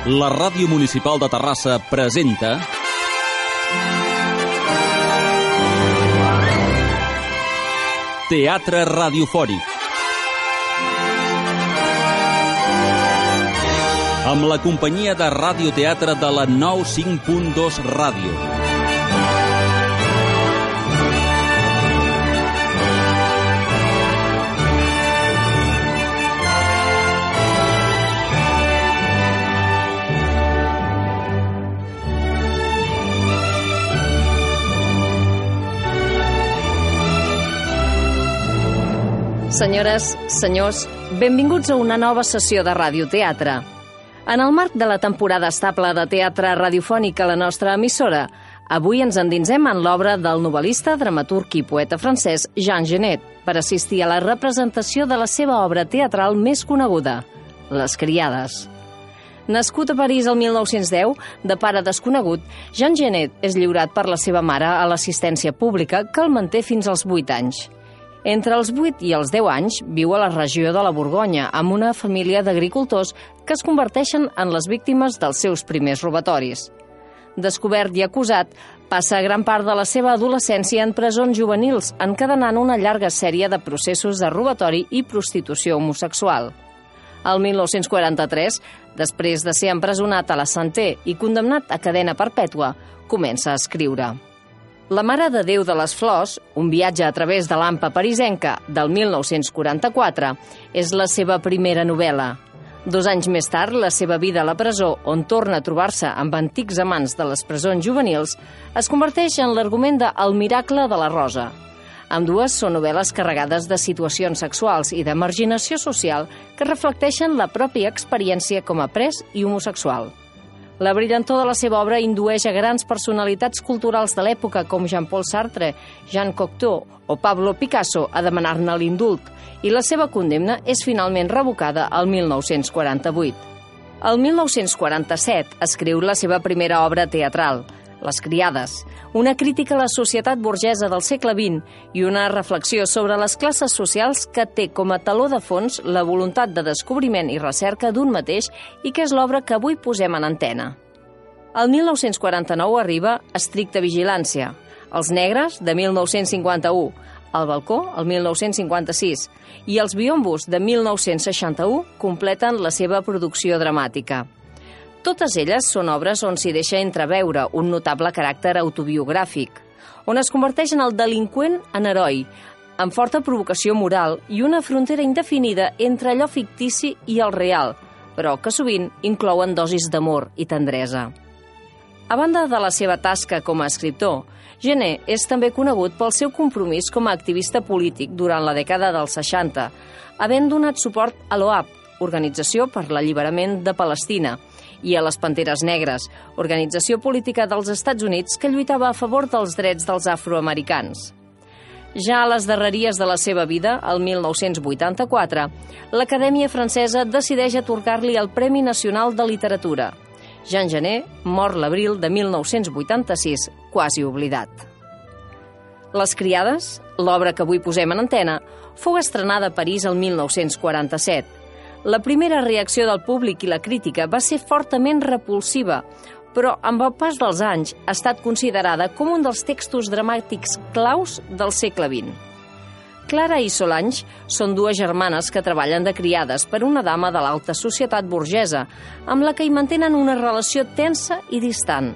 La Ràdio Municipal de Terrassa presenta Teatre Radiofònic. Amb la companyia de radioteatre de la 95.2 Ràdio. Senyores, senyors, benvinguts a una nova sessió de radioteatre. En el marc de la temporada estable de teatre radiofònic a la nostra emissora, avui ens endinsem en l'obra del novel·lista, dramaturg i poeta francès Jean Genet per assistir a la representació de la seva obra teatral més coneguda, Les criades. Nascut a París el 1910, de pare desconegut, Jean Genet és lliurat per la seva mare a l'assistència pública que el manté fins als 8 anys. Entre els 8 i els 10 anys viu a la regió de la Borgonya amb una família d'agricultors que es converteixen en les víctimes dels seus primers robatoris. Descobert i acusat, passa gran part de la seva adolescència en presons juvenils, encadenant una llarga sèrie de processos de robatori i prostitució homosexual. El 1943, després de ser empresonat a la Santé i condemnat a cadena perpètua, comença a escriure. La Mare de Déu de les Flors, un viatge a través de l'Hampa parisenca del 1944, és la seva primera novel·la. 2 anys més tard, la seva vida a la presó, on torna a trobar-se amb antics amants de les presons juvenils, es converteix en l'argument de El miracle de la Rosa. Ambdues són novel·les carregades de situacions sexuals i de marginació social que reflecteixen la pròpia experiència com a pres i homosexual. La brillantor de la seva obra indueix a grans personalitats culturals de l'època com Jean-Paul Sartre, Jean Cocteau o Pablo Picasso a demanar-ne l'indult, i la seva condemna és finalment revocada el 1948. El 1947 escriu la seva primera obra teatral, Les criades, una crítica a la societat burgesa del segle XX i una reflexió sobre les classes socials que té com a taló de fons la voluntat de descobriment i recerca d'un mateix i que és l'obra que avui posem en antena. El 1949 arriba Estricta vigilància, Els negres, de 1951, El balcó, el 1956, i Els biombos, de 1961, completen la seva producció dramàtica. Totes elles són obres on s'hi deixa entreveure un notable caràcter autobiogràfic, on es converteix en el delinqüent en heroi, amb forta provocació moral i una frontera indefinida entre allò fictici i el real, però que sovint inclouen dosis d'amor i tendresa. A banda de la seva tasca com a escriptor, Genet és també conegut pel seu compromís com a activista polític durant la dècada dels 60, havent donat suport a l'OAP, Organització per l'Alliberament de Palestina, i a les Panteres Negres, organització política dels Estats Units que lluitava a favor dels drets dels afroamericans. Ja a les darreries de la seva vida, el 1984, l'Acadèmia Francesa decideix atorgar-li el Premi Nacional de Literatura. Jean Genet mor l'abril de 1986, quasi oblidat. Les criades, l'obra que avui posem en antena, fou estrenada a París el 1947. La primera reacció del públic i la crítica va ser fortament repulsiva, però amb el pas dels anys ha estat considerada com un dels textos dramàtics claus del segle XX. Clara i Solange són 2 germanes que treballen de criades per una dama de l'alta societat burgesa, amb la que hi mantenen una relació tensa i distant.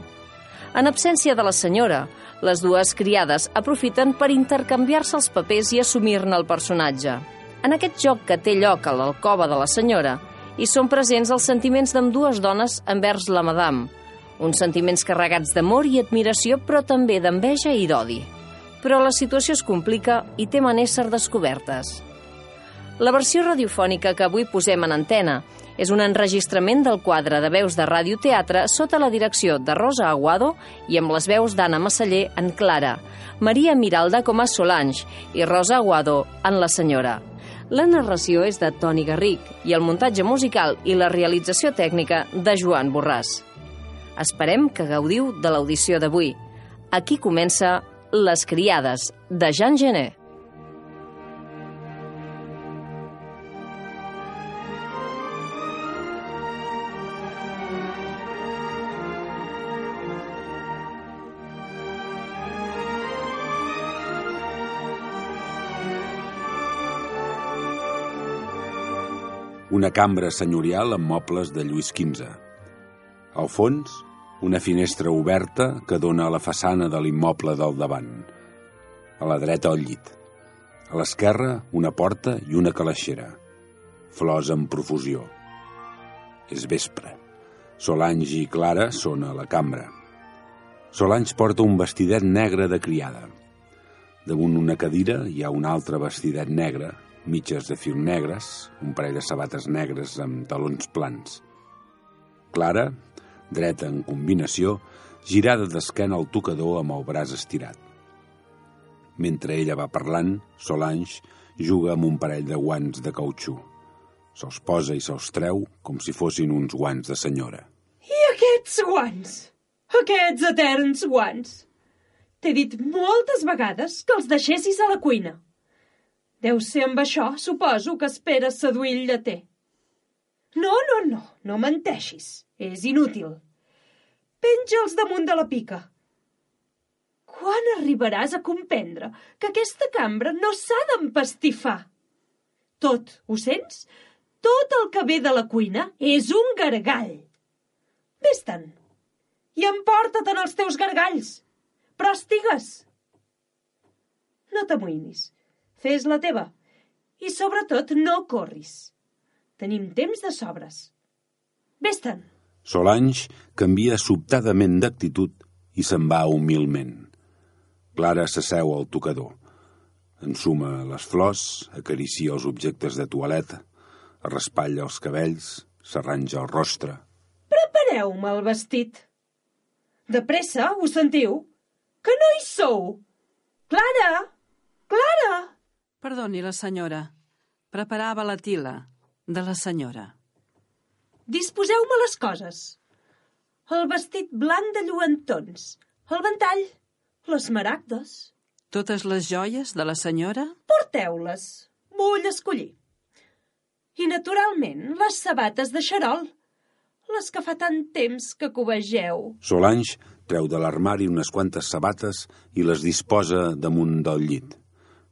En absència de la senyora, les 2 criades aprofiten per intercanviar-se els papers i assumir-ne el personatge. En aquest joc que té lloc a l'alcova de la senyora, hi són presents els sentiments d'ambdues dones envers la madame, uns sentiments carregats d'amor i admiració, però també d'enveja i d'odi. Però la situació es complica i temen ésser descobertes. La versió radiofònica que avui posem en antena és un enregistrament del quadre de veus de radioteatre sota la direcció de Rosa Aguado i amb les veus d'Anna Massaller en Clara, Maria Miralda com a Solange i Rosa Aguado en la senyora. La narració és de Toni Garric i el muntatge musical i la realització tècnica de Joan Borràs. Esperem que gaudiu de l'audició d'avui. Aquí comença Les criades, de Jean Genet. Una cambra senyorial amb mobles de Lluís XV. Al fons, una finestra oberta que dona a la façana de l'immoble del davant. A la dreta, el llit. A l'esquerra, una porta i una calaixera. Flors en profusió. És vespre. Solange i Clara són a la cambra. Solange porta un vestidet negre de criada. Damunt una cadira hi ha un altre vestidet negre, mitges de fil negres, un parell de sabates negres amb talons plans. Clara, dreta en combinació, girada d'esquena al tocador amb el braç estirat. Mentre ella va parlant, Solange juga amb un parell de guants de cautxú. Se'ls posa i se'ls treu com si fossin uns guants de senyora. I aquests guants? Aquests eterns guants? T'he dit moltes vegades que els deixessis a la cuina. Deu ser amb això, suposo, que esperes seduir el lleter. No menteixis. És inútil. Penja'ls damunt de la pica. Quan arribaràs a comprendre que aquesta cambra no s'ha d'empastifar? Tot, ho sents? Tot el que ve de la cuina és un gargall. Vés-te'n i emporta-te'n els teus gargalls. Però estigues. No t'amoïnis. Fes la teva. I sobretot no corris. Tenim temps de sobres. Vés-te'n. Solange canvia sobtadament d'actitud i se'n va humilment. Clara s'asseu al tocador. Ensuma les flors, acaricia els objectes de toaleta, es raspalla els cabells, s'arranja el rostre. Prepareu-me el vestit. De pressa, ho sentiu? Que no hi sou? Clara! Clara! Perdoni, la senyora. Preparava la tila de la senyora. Disposeu-me les coses. El vestit blanc de lluentons, el ventall, les maragdes. Totes les joies de la senyora? Porteu-les. Vull escollir. I, naturalment, les sabates de xarol, les que fa tant temps que covegeu. Solange treu de l'armari unes quantes sabates i les disposa damunt del llit.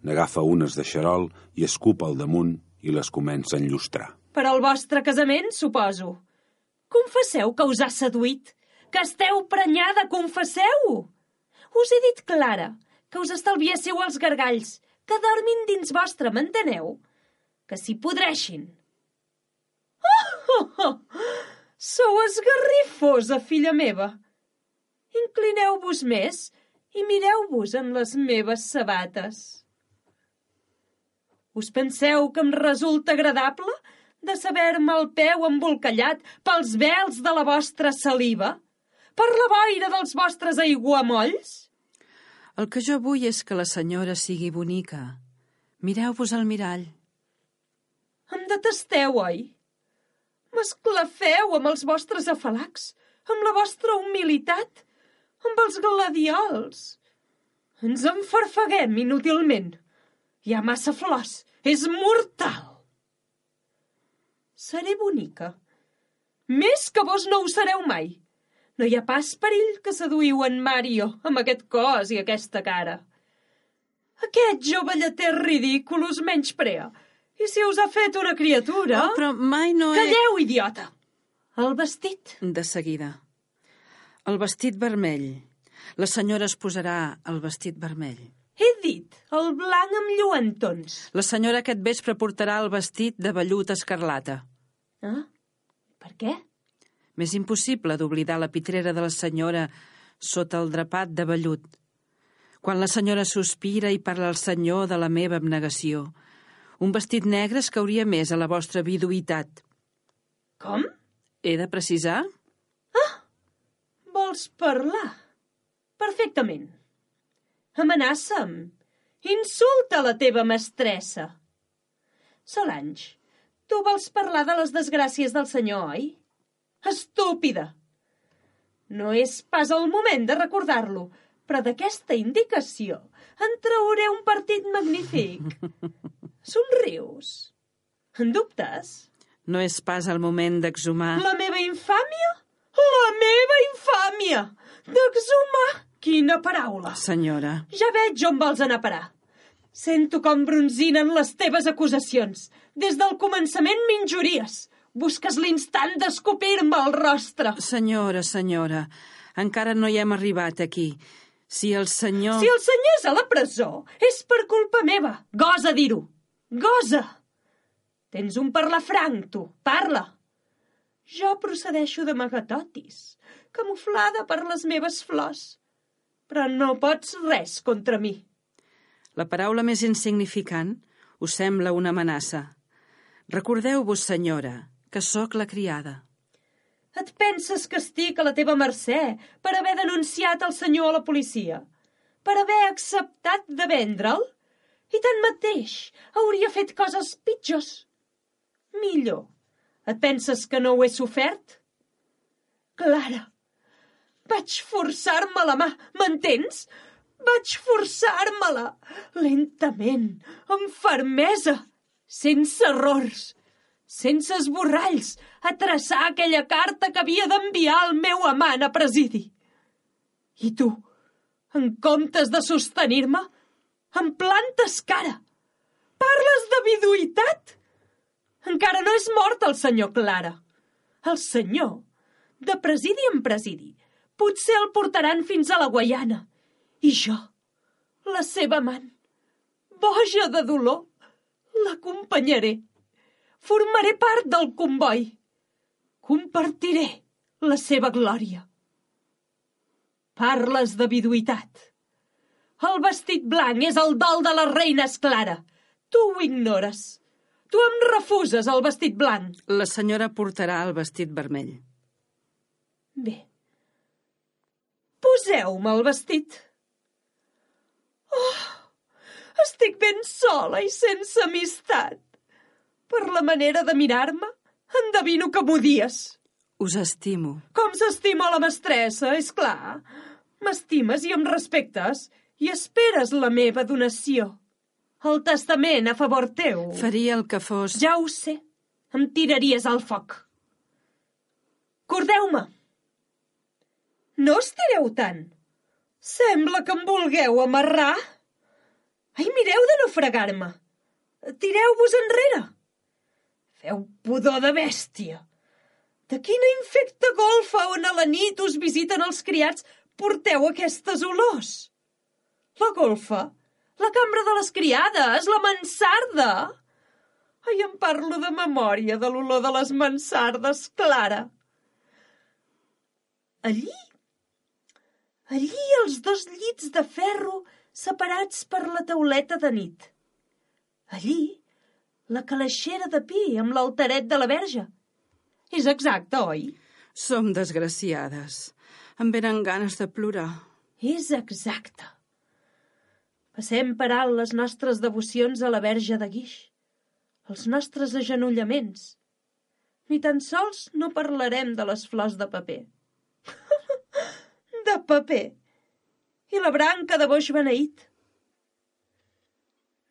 N'agafa unes de xarol i escup al damunt i les comença a enllustrar. Per al vostre casament, suposo. Confesseu que us ha seduït, que esteu prenyada, confesseu-ho. Us he dit, Clara, que us estalviéssiu els gargalls, que dormin dins vostre, m'enteneu? Que s'hi podreixin. Sou esgarrifosa, filla meva. Inclineu-vos més i mireu-vos en les meves sabates. Us penseu que em resulta agradable de saber-me el peu embolcallat pels vels de la vostra saliva? Per la boira dels vostres aiguamolls? El que jo vull és que la senyora sigui bonica. Mireu-vos al mirall. Em detesteu, oi? M'esclafeu amb els vostres afalacs, amb la vostra humilitat, amb els gladiols. Ens enfarfeguem inútilment. Hi ha massa flors. És mortal. Seré bonica. Més que vos no ho sereu mai. No hi ha pas perill que seduïu en Mario amb aquest cos i aquesta cara. Aquest jove lleter ridícul us menysprea. I si us ha fet una criatura... Oh, però mai no he... Calleu, idiota! El vestit. De seguida. El vestit vermell. La senyora es posarà el vestit vermell. He dit el blanc amb lluentons. La senyora aquest vespre portarà el vestit de vellut escarlata. Ah? Per què? M'és impossible d'oblidar la pitrera de la senyora sota el drapat de vellut. Quan la senyora sospira i parla al senyor de la meva abnegació, un vestit negre es cauria més a la vostra viduïtat. Com? He de precisar? Ah! Vols parlar? Perfectament. Amenaça'm. Insulta la teva mestressa. Solange, tu vols parlar de les desgràcies del senyor, oi? Estúpida! No és pas el moment de recordar-lo, però d'aquesta indicació en trauré un partit magnífic. Somrius. En dubtes? No és pas el moment d'exhumar... La meva infàmia? La meva infàmia! D'exhumar? Quina paraula! Senyora... Ja veig on vols anar a parar. Sento com bronzinen les teves acusacions. Des del començament m'injuries. Busques l'instant d'escopir-me al rostre. Senyora, encara no hi hem arribat aquí. Si el senyor és a la presó, és per culpa meva. Gosa dir-ho. Gosa! Tens un parlar franc, tu. Parla. Jo procedeixo d'amagatotis, camuflada per les meves flors. Però no pots res contra mi. La paraula més insignificant us sembla una amenaça. Recordeu-vos, senyora, que sóc la criada. Et penses que estic a la teva mercè per haver denunciat el senyor a la policia? Per haver acceptat de vendre'l? I tanmateix hauria fet coses pitjors. Millor. Et penses que no ho he sofert? Clara, vaig forçar-me la mà, m'entens? Vaig forçar-me-la, lentament, amb fermesa, sense errors, sense esborralls, a traçar aquella carta que havia d'enviar al meu amant a presidi. I tu, en comptes de sostenir-me, em plantes cara. Parles de viduïtat? Encara no és mort el senyor Clara. El senyor, de presidi en presidi, potser el portaran fins a la Guaiana. I jo, la seva amant, boja de dolor, l'acompanyaré. Formaré part del comboi. Compartiré la seva glòria. Parles de viduïtat. El vestit blanc és el dol de les reines, Clara. Tu ho ignores. Tu em refuses el vestit blanc. La senyora portarà el vestit vermell. Bé. Poseu-me el vestit. Oh, estic ben sola i sense amistat. Per la manera de mirar-me, endevino que m'odies. Us estimo. Com s'estima la mestressa, és clar. M'estimes i em respectes i esperes la meva donació. El testament a favor teu. Faria el que fos... Ja ho sé. Em tiraries al foc. Cordeu-me. No estireu tant. Sembla que em vulgueu amarrar. Ai, mireu de no fregar-me. Tireu-vos enrere. Feu pudor de bèstia. De quina infecta golfa on a la nit us visiten els criats porteu aquestes olors? La golfa? La cambra de les criades? La mansarda? Ai, em parlo de memòria de l'olor de les mansardes, Clara. Allí els dos llits de ferro separats per la tauleta de nit. Allí, la calaixera de pi amb l'altaret de la Verge. És exacte, oi? Som desgraciades. Em venen ganes de plorar. És exacte. Passem per alt les nostres devocions a la Verge de Guix, els nostres agenollaments. Ni tan sols no parlarem de les flors de paper. De paper. I la branca de boix beneït.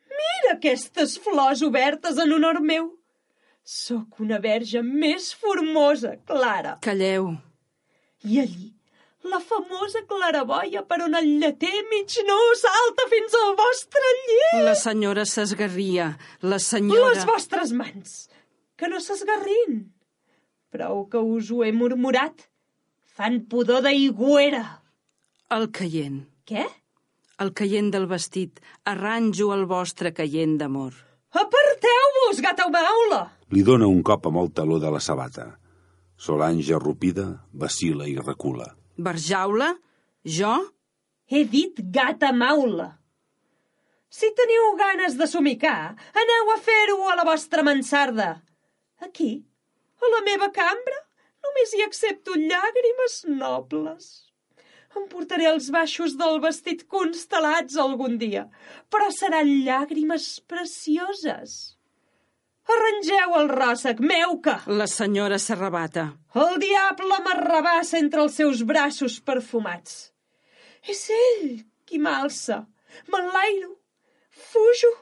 Mira aquestes flors obertes en honor meu. Sóc una verge més formosa, Clara. Calleu. I allí, la famosa claraboia per on el lleter mig nu salta fins al vostre llit. La senyora s'esgarria. La senyora... Les vostres mans, que no s'esgarrin. Prou que us ho he murmurat. Fan pudor d'aigüera. El caient. Què? El caient del vestit. Arranjo el vostre caient d'amor. Aparteu-vos, gata maula! Li dóna un cop amb el taló de la sabata. Solange, arrupida, vacila i recula. Barjaula? Jo? He dit gata maula. Si teniu ganes de somicar, aneu a fer-ho a la vostra mansarda. Aquí, a la meva cambra, només hi accepto llàgrimes nobles. Em portaré els baixos del vestit constel·lats algun dia, però seran llàgrimes precioses. Arrangeu el ròssec, meuca! La senyora s'arrabata. El diable m'arrabassa entre els seus braços perfumats. És ell qui m'alça, m'enlairo, fujo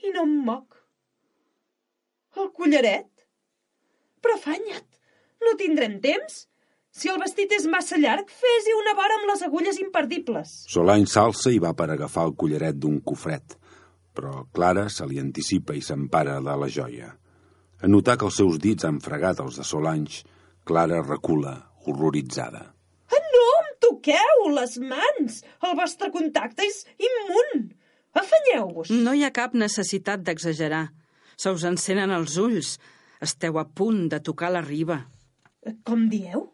i no em moc. El collaret? Però afanya't, no tindrem temps? Si el vestit és massa llarg, fes-hi una vora amb les agulles imperdibles. Solange s'alça i va per agafar el collaret d'un cofret, però Clara se li anticipa i s'empara de la joia. En notar que els seus dits han fregat els de Solange, Clara recula, horroritzada. No em toqueu les mans! El vostre contacte és immun! Afanyeu-vos! No hi ha cap necessitat d'exagerar. Se us encenen els ulls. Esteu a punt de tocar la riba. Com dieu?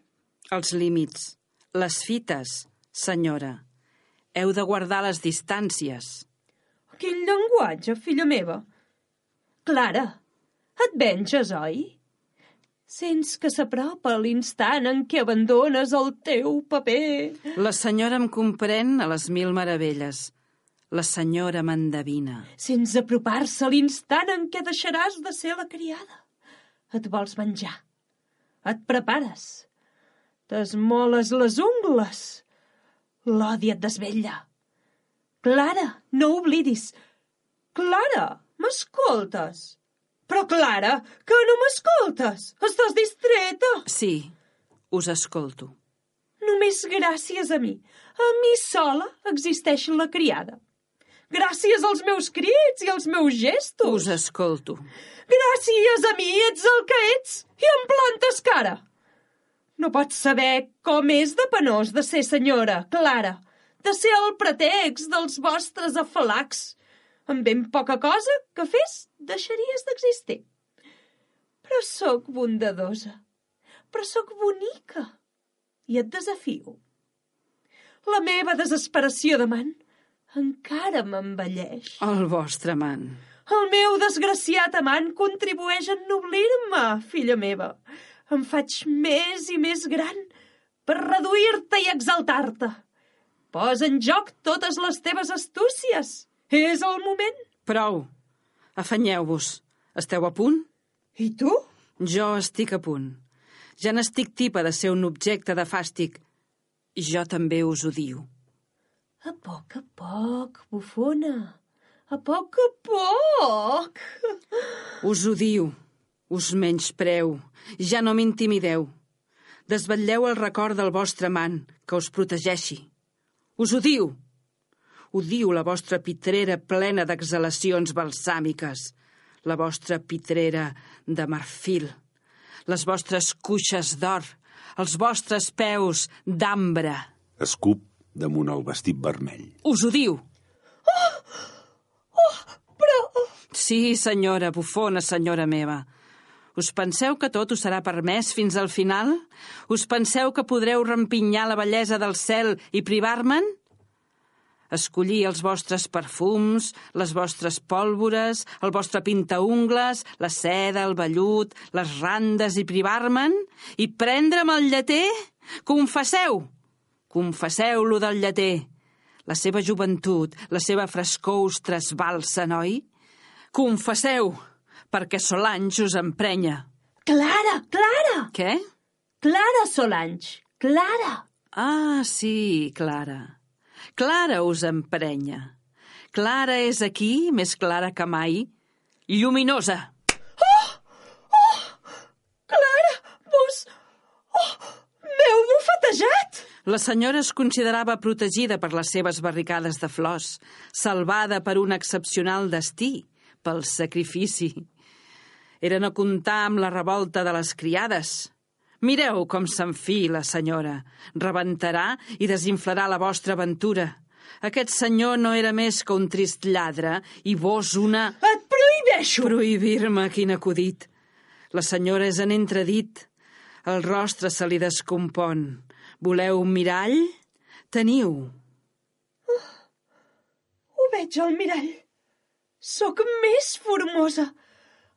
Els límits, les fites, senyora. Heu de guardar les distàncies. Quin llenguatge, filla meva! Clara, et venges, oi? Sents que s'apropa l'instant en què abandones el teu paper. La senyora em comprèn a les 1000 meravelles. La senyora m'endevina. Sents apropar-se l'instant en què deixaràs de ser la criada. Et vols menjar. Et prepares. T'esmoles les ungles. L'odi et desvetlla. Clara, no oblidis. Clara, m'escoltes? Però, Clara, que no m'escoltes? Estàs distreta? Sí, us escolto. Només gràcies a mi. A mi sola existeix la criada. Gràcies als meus crits i als meus gestos. Us escolto. Gràcies a mi ets el que ets i em plantes cara. No pots saber com és de penós de ser senyora, Clara, de ser el pretext dels vostres afalacs. Amb ben poca cosa que fes, deixaries d'existir. Però sóc bondadosa, però sóc bonica i et desafio. La meva desesperació d'amant encara m'envelleix. El vostre amant. El meu desgraciat amant contribueix a ennoblir-me, filla meva. Em faig més i més gran per reduir-te i exaltar-te. Posa en joc totes les teves astúcies. És el moment. Prou. Afanyeu-vos. Esteu a punt? I tu? Jo estic a punt. Ja n'estic tipa de ser un objecte de fàstic. Jo també us odio. A poc, bufona. A poc. Us odio. Us menyspreu. Ja no m'intimideu. Desvetlleu el record del vostre amant, que us protegeixi. Us odio. Odio la vostra pitrera plena d'exhalacions balsàmiques, la vostra pitrera de marfil, les vostres cuixes d'or, els vostres peus d'ambre. Escup damunt el vestit vermell. Us odio. Però... Sí, senyora, bufona, senyora meva. Us penseu que tot us serà permès fins al final? Us penseu que podreu rempinyar la bellesa del cel i privar-me'n? Escollir els vostres perfums, les vostres pòlvores, el vostre pintaungles, la seda, el vellut, les randes i privar-me'n? I prendre'm el lleter? Confesseu! Confesseu-lo del lleter. La seva joventut, la seva frescor us trasbalsen, oi? Confesseu, perquè Solange us emprenya. Clara! Què? Clara Solange, Clara! Ah, sí, Clara. Clara us emprenya. Clara és aquí, més clara que mai. Lluminosa. Clara, vos... m'heu bufetejat! La senyora es considerava protegida per les seves barricades de flors, salvada per un excepcional destí, pel sacrifici. Era no comptar amb la revolta de les criades. Mireu com s'enfila, senyora. Rebentarà i desinflarà la vostra aventura. Aquest senyor no era més que un trist lladre i vos una... Et prohibeixo! Prohibir-me, quin acudit. La senyora és en entredit. El rostre se li descompon. Voleu un mirall? Teniu. Ho veig al mirall. Sóc més formosa.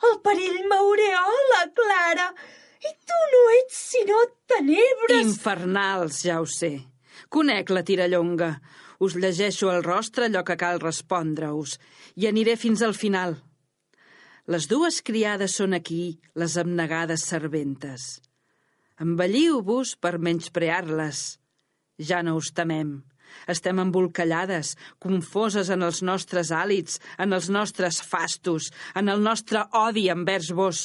El perill m'aureola, Clara. I tu no ets sinó tenebres... Infernals, ja ho sé. Conec la tirallonga. Us llegeixo al rostre allò que cal respondre-us i aniré fins al final. Les dues criades són aquí, les abnegades serventes. Embelliu-vos per menysprear-les. Ja no us temem. Estem embolcallades, confoses en els nostres hàlits, en els nostres fastos, en el nostre odi envers vos.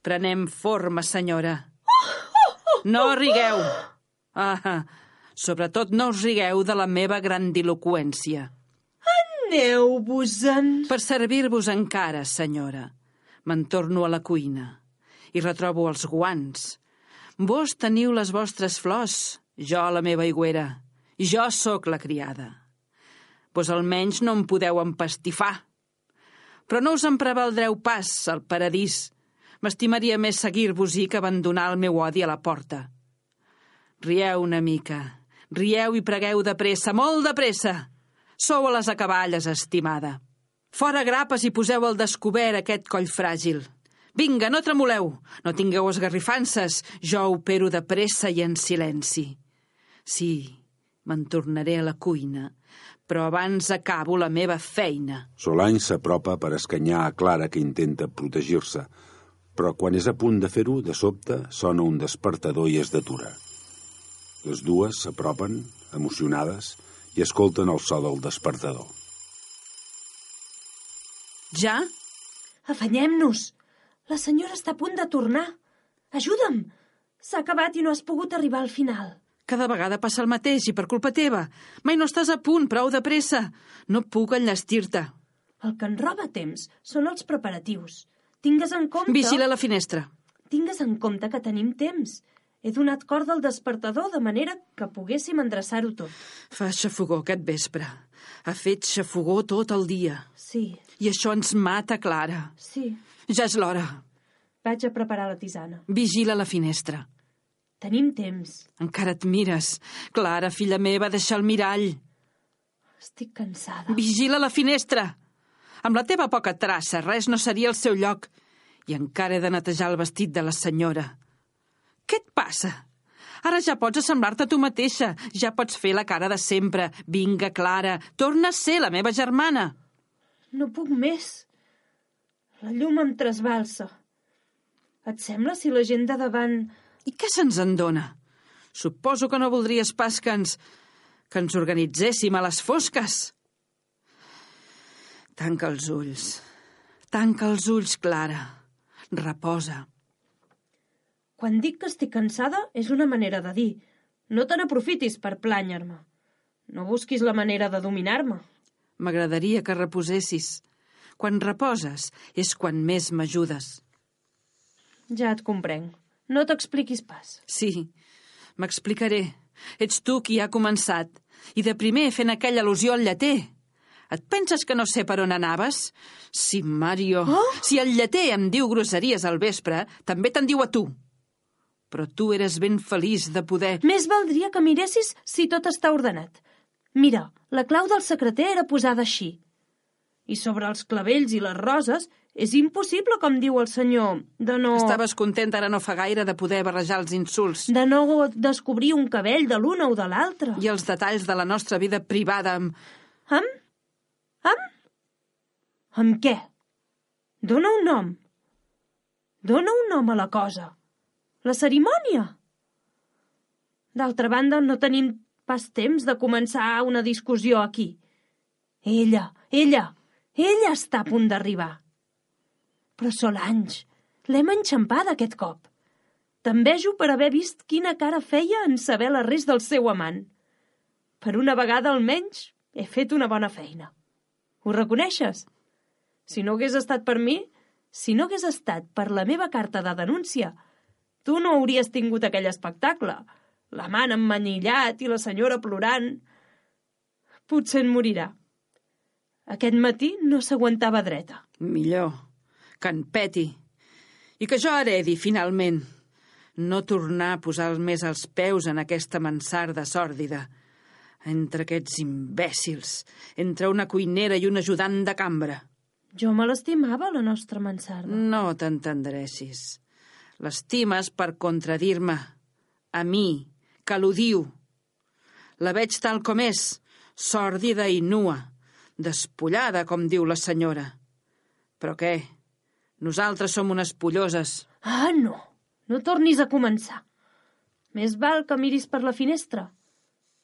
Prenem forma, senyora. No rigueu. Sobretot no us rigueu de la meva grandiloqüència. Aneu-vos-en. Per servir-vos encara, senyora. Me'n torno a la cuina i retrobo els guants. Vos teniu les vostres flors, jo la meva aigüera. Jo sóc la criada. Vos almenys no em podeu empastifar. Però no us en prevaldreu pas, al paradís. M'estimaria més seguir-vos-hi que abandonar el meu odi a la porta. Rieu una mica. Rieu i pregueu de pressa, molt de pressa. Sou a les acaballes, estimada. Fora grapes i poseu al descobert aquest coll fràgil. Vinga, no tremoleu, no tingueu esgarrifances, jo opero de pressa i en silenci. Sí, me'n tornaré a la cuina, però abans acabo la meva feina. Solange s'apropa per escanyar a Clara, que intenta protegir-se, però quan és a punt de fer-ho, de sobte sona un despertador i es detura. Les dues s'apropen, emocionades, i escolten el so del despertador. Ja? Afanyem-nos. La senyora està a punt de tornar. Ajuda'm. S'ha acabat i no has pogut arribar al final. Cada vegada passa el mateix i per culpa teva. Mai no estàs a punt, prou de pressa. No puc enllestir-te. El que ens roba temps són els preparatius. Tingues en compte... Vigila la finestra. Tingues en compte que tenim temps. He donat corda al despertador de manera que poguéssim endreçar-ho tot. Fa xafogó aquest vespre. Ha fet xafogó tot el dia. Sí, I això ens mata, Clara. sí. Ja és l'hora. Vaig a preparar la tisana. Vigila la finestra. Tenim temps. Encara et mires. Clara, filla meva, deixa el mirall. Estic cansada. Vigila la finestra. Amb la teva poca traça, res no seria el seu lloc. I encara he de netejar el vestit de la senyora. Què et passa? Ara ja pots assemblar-te a tu mateixa. Ja pots fer la cara de sempre. Vinga, Clara, torna a ser la meva germana. No puc més. La llum em trasbalsa. Et sembla si la gent de davant... I què se'ns en dona? Suposo que no voldries pas que ens organitzéssim a les fosques. Tanca els ulls. Tanca els ulls, Clara. Reposa. Quan dic que estic cansada és una manera de dir. No te n'aprofitis per plànyer-me. No busquis la manera de dominar-me. M'agradaria que reposessis. Quan reposes és quan més m'ajudes. Ja et comprenc. No t'expliquis pas. Sí, m'explicaré. Ets tu qui ha començat. I de primer fent aquella al·lusió al lleter. Et penses que no sé per on anaves? Sí, Mario. Oh! Si el lleter em diu grosseries al vespre, també te'n diu a tu. Però tu eres ben feliç de poder... Més valdria que miressis si tot està ordenat. Mira, la clau del secreter era posada així. I sobre els clavells i les roses és impossible, com diu el senyor, de no... Estaves content ara no fa gaire de poder barrejar els insults. De no descobrir un cabell de l'una o de l'altra. I els detalls de la nostra vida privada amb... Amb què? Dóna un nom. Dóna un nom a la cosa. La cerimònia. D'altra banda, no tenim pas temps de començar una discussió aquí. Ella està a punt d'arribar. Però Solange, l'hem enxampada aquest cop. T'envejo per haver vist quina cara feia en saber la res del seu amant. Per una vegada almenys he fet una bona feina. Ho reconeixes? Si no hagués estat per mi, si no hagués estat per la meva carta de denúncia, tu no hauries tingut aquell espectacle. L'amant emmanillat i la senyora plorant. Potser en morirà. Aquest matí no s'aguantava dreta. Millor, que en peti. I que jo heredi, finalment. No tornar a posar més els peus en aquesta mansarda sòrdida. Entre aquests imbècils, entre una cuinera i un ajudant de cambra. Jo me l'estimava, la nostra mansarda. No t'entendressis. L'estimes per contradir-me. A mi, que l'odio. La veig tal com és, sòrdida i nua. Despullada, com diu la senyora. Però què? Nosaltres som unes polloses. Ah, no. No tornis a començar. Més val que miris per la finestra.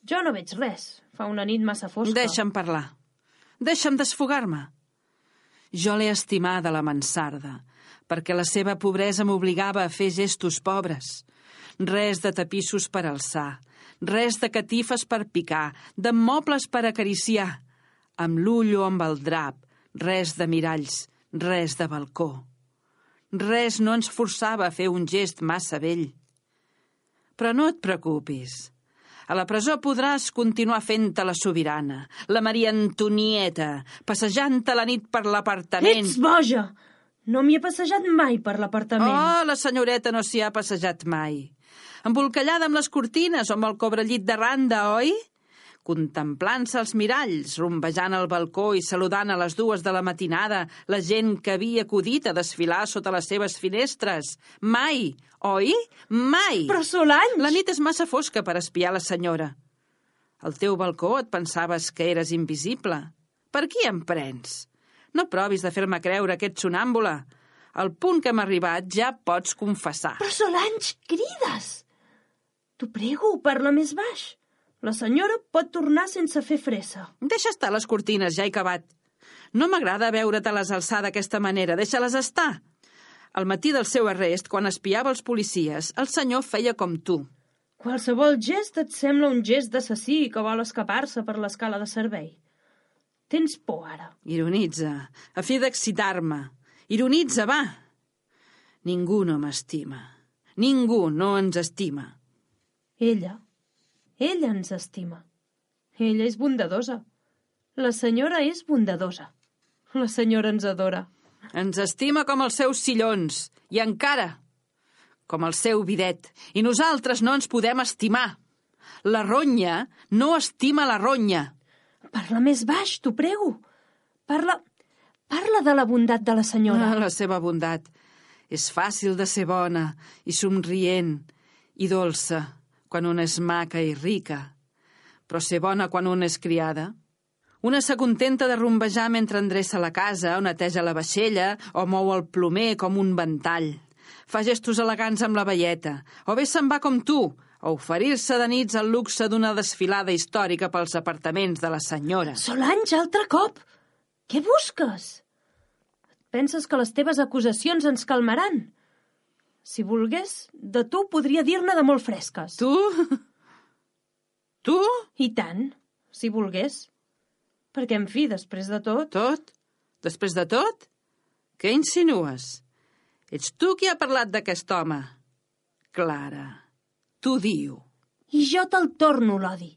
Jo no veig res. Fa una nit massa fosca. Deixa'm parlar. Deixa'm desfogar-me. Jo l'he estimada, la mansarda, perquè la seva pobresa m'obligava a fer gestos pobres. Res de tapissos per alçar, res de catifes per picar, de mobles per acariciar. amb l'ull o amb el drap, res de miralls, res de balcó. Res no ens forçava a fer un gest massa vell. Però no et preocupis. A la presó podràs continuar fent-te la sobirana, la Maria Antonieta, passejant-te la nit per l'apartament. Ets boja! No m'hi he passejat mai per l'apartament. Oh, la senyoreta no s'hi ha passejat mai. Embolcallada amb les cortines o amb el cobrellit de randa, oi? Contemplant-se els miralls, rumbejant al balcó i saludant a les 2 de la matinada la gent que havia acudit a desfilar sota les seves finestres. Mai, oi? Mai! Però Solange! La nit és massa fosca per espiar la senyora. Al teu balcó et pensaves que eres invisible. Per qui em prens? No provis de fer-me creure que ets sonàmbula. Al punt que hem arribat ja pots confessar. Però Solange, crides! T'ho prego, parla més baix. La senyora pot tornar sense fer fressa. Deixa estar les cortines, ja he acabat. No m'agrada veure-te-les alçar d'aquesta manera, deixa-les estar. Al matí del seu arrest, quan espiava els policies, el senyor feia com tu. Qualsevol gest et sembla un gest d'assassí que vol escapar-se per l'escala de servei. Tens por, ara. Ironitza, a fi d'excitar-me. Ironitza, va. Ningú no m'estima. Ningú no ens estima. Ella ens estima. Ella és bondadosa. La senyora és bondadosa. La senyora ens adora. Ens estima com els seus sillons, i encara com el seu bidet. I nosaltres no ens podem estimar. La ronya no estima la ronya. Parla més baix, t'ho prego. Parla de la bondat de la senyora. La seva bondat. És fàcil de ser bona i somrient i dolça quan una és maca i rica. Però ser bona quan una és criada? Una s'acontenta de rumbejar mentre endreça la casa o neteja la vaixella o mou el plomer com un ventall. Fa gestos elegants amb la velleta, o bé se'n va com tu, a oferir-se de nits al luxe d'una desfilada històrica pels apartaments de la senyora. Solange, altre cop! Què busques? Penses que les teves acusacions ens calmaran? Si volgués, de tu podria dir-ne de molt fresques. Tu? Tu? I tant, si volgués. Perquè, en fi, després de tot... Tot? Després de tot? Què insinues? Ets tu qui ha parlat d'aquest home. Clara, t'ho diu. I jo te'l torno, l'odi.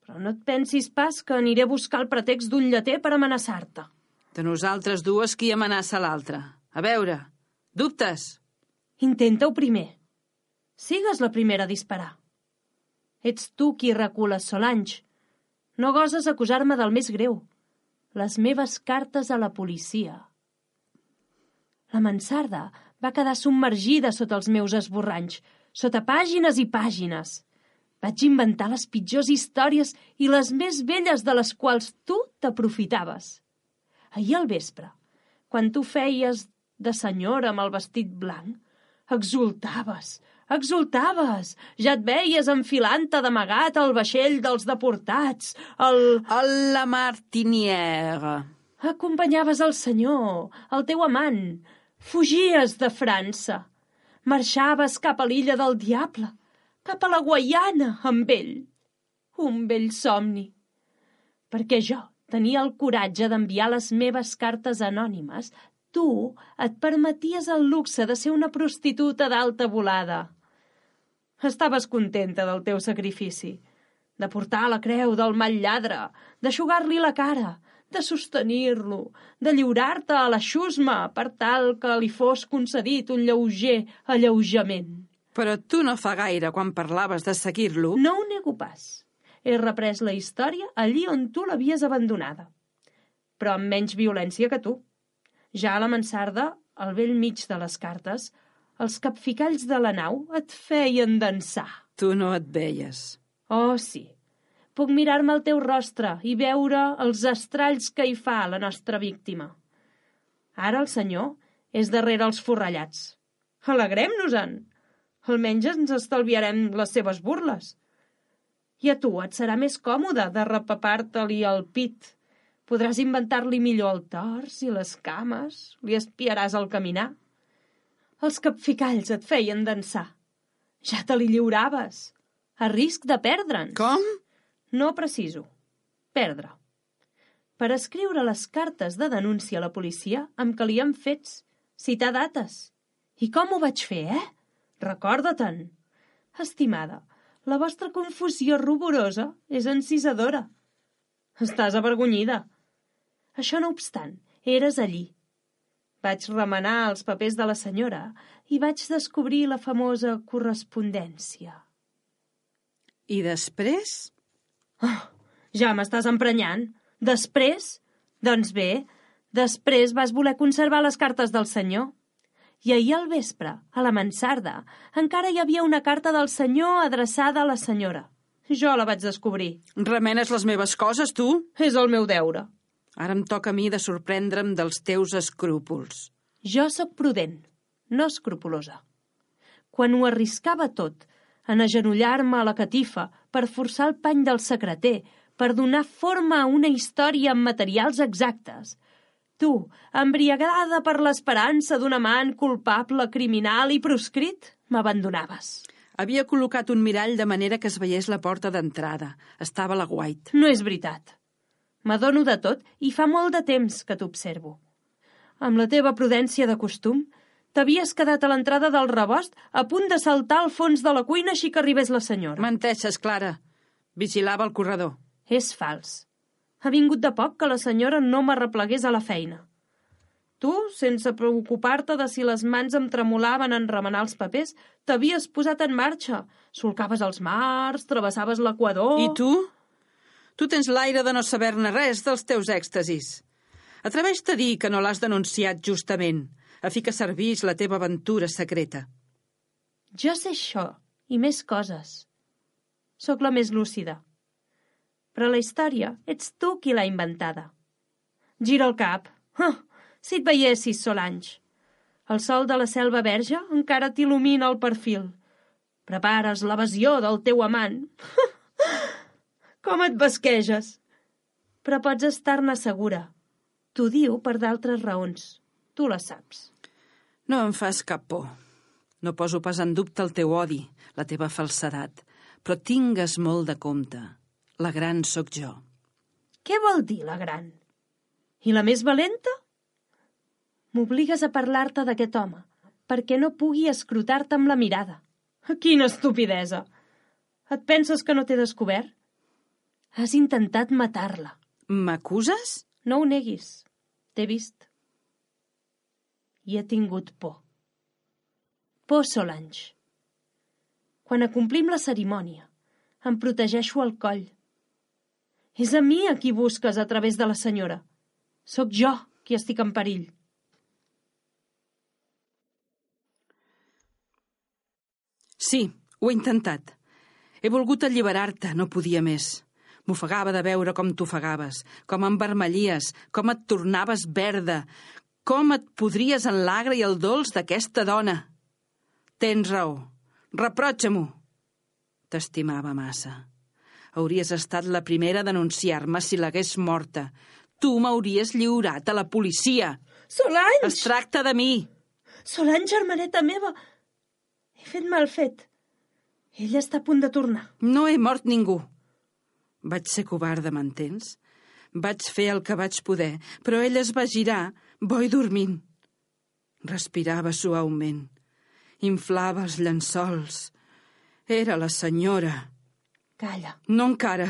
Però no et pensis pas que aniré a buscar el pretext d'un lleter per amenaçar-te. De nosaltres dues, qui amenaça l'altre? A veure, dubtes? Intenta-ho primer. Sigues la primera a disparar. Ets tu qui recules, Solange. No goses acusar-me del més greu. Les meves cartes a la policia. La mansarda va quedar submergida sota els meus esborranys, sota pàgines i pàgines. Vaig inventar les pitjors històries i les més velles de les quals tu t'aprofitaves. Ahir al vespre, quan tu feies de senyora amb el vestit blanc, exultaves, ja et veies enfilant-te d'amagat al vaixell dels deportats, La Martinière. Acompanyaves el senyor, el teu amant, fugies de França, marxaves cap a l'illa del diable, cap a la Guaiana amb ell. Un vell somni. Perquè jo tenia el coratge d'enviar les meves cartes anònimes, tu et permeties el luxe de ser una prostituta d'alta volada. Estaves contenta del teu sacrifici, de portar la creu del mal lladre, d'eixugar-li la cara, de sostenir-lo, de lliurar-te a la xusma per tal que li fos concedit un lleuger alleujament. Però tu no fa gaire, quan parlaves de seguir-lo... No ho nego pas. He reprès la història allí on tu l'havies abandonada, però amb menys violència que tu. Ja a la mansarda, al vell mig de les cartes, els capficalls de la nau et feien dansar. Tu no et veies. Oh, sí. Puc mirar-me al teu rostre i veure els estralls que hi fa la nostra víctima. Ara el senyor és darrere els forrellats. Alegrem-nos-en. Almenys ens estalviarem les seves burles. I a tu et serà més còmode de repapar-te-li el pit. Podràs inventar-li millor el tors i les cames, li espiaràs al caminar. Els capficalls et feien dansar. Ja te li lliuraves, a risc de perdre'ns. Com? No preciso. Perdre. per escriure les cartes de denúncia a la policia amb què li han fets, citar dates. I com ho vaig fer, Recorda-te'n. Estimada, la vostra confusió ruborosa és encisadora. Estàs avergonyida. Això no obstant, eres allí. Vaig remenar els papers de la senyora i vaig descobrir la famosa correspondència. I després? Ja m'estàs emprenyant. Després? Doncs bé, després vas voler conservar les cartes del senyor. I ahir al vespre, a la mansarda, encara hi havia una carta del senyor adreçada a la senyora. Jo la vaig descobrir. Remenes les meves coses, tu? És el meu deure. Ara em toca a mi de sorprendre'm dels teus escrúpols. Jo sóc prudent, no escrupulosa. Quan ho arriscava tot, en agenollar-me a la catifa per forçar el pany del secreter, per donar forma a una història amb materials exactes, tu, embriagada per l'esperança d'un amant culpable, criminal i proscrit, m'abandonaves. Havia col·locat un mirall de manera que es veiés la porta d'entrada. Estava a l'aguait. No és veritat. M'adono de tot i fa molt de temps que t'observo. Amb la teva prudència de costum, t'havies quedat a l'entrada del rebost a punt de saltar al fons de la cuina així que arribés la senyora. Menteixes, Clara. Vigilava el corredor. És fals. Ha vingut de poc que la senyora no m'arreplegués a la feina. Tu, sense preocupar-te de si les mans em tremolaven en remenar els papers, t'havies posat en marxa. Solcaves els mars, travessaves l'equador... I tu? Tu tens l'aire de no saber-ne res dels teus èxtasis. Atreveix-te a dir que no l'has denunciat justament, a fi que servís la teva aventura secreta. Jo sé això, i més coses. Sóc la més lúcida. Però la història ets tu qui l'ha inventada. Gira el cap. Si et veiessis, Solange. El sol de la selva verge encara t'il·lumina el perfil. Prepares l'evasió del teu amant. Com et basqueges! Però pots estar-ne segura. T'ho diu per d'altres raons. Tu les saps. No em fas cap por. No poso pas en dubte el teu odi, la teva falsedat. Però tingues molt de compte. La gran sóc jo. Què vol dir la gran? I la més valenta? M'obligues a parlar-te d'aquest home, perquè no pugui escrutar-te amb la mirada. Quina estupidesa! Et penses que no t'he descobert? Has intentat matar-la. M'acuses? No ho neguis. T'he vist. I he tingut por. Por, Solange. Quan acomplim la cerimònia, em protegeixo el coll. És a mi a qui busques a través de la senyora. Sóc jo qui estic en perill. Sí, ho he intentat. He volgut alliberar-te, no podia més. M'ofegava de veure com t'ofegaves, com envermellies, com et tornaves verda, com et podries en l'agre i el dolç d'aquesta dona. Tens raó. Reprotxa-m'ho. T'estimava massa. Hauries estat la primera a denunciar-me si l'hagués morta. Tu m'hauries lliurat a la policia. Solange! Es tracta de mi. Solange, germaneta meva. He fet mal fet. Ella està a punt de tornar. No he mort ningú. Vaig ser covarda, m'entens? Vaig fer el que vaig poder, però ella es va girar, bo i dormint. Respirava suaument. Inflava els llençols. Era la senyora. Calla. No encara.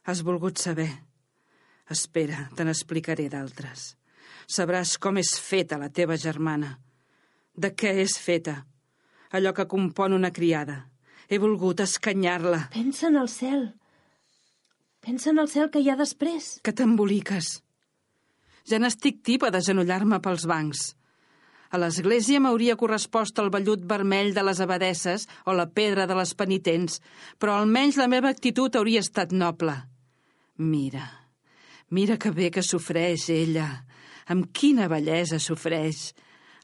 Has volgut saber. Espera, te n'explicaré d'altres. Sabràs com és feta la teva germana. De què és feta? Allò que compon una criada. He volgut escanyar-la. Pensa en el cel. Pensa en el cel que hi ha després. Que t'emboliques. Ja n'estic tipa d'agenollar-me pels bancs. A l'església m'hauria correspost el vellut vermell de les abadesses o la pedra de les penitents, però almenys la meva actitud hauria estat noble. Mira que bé que sofreix ella. Amb quina bellesa sofreix.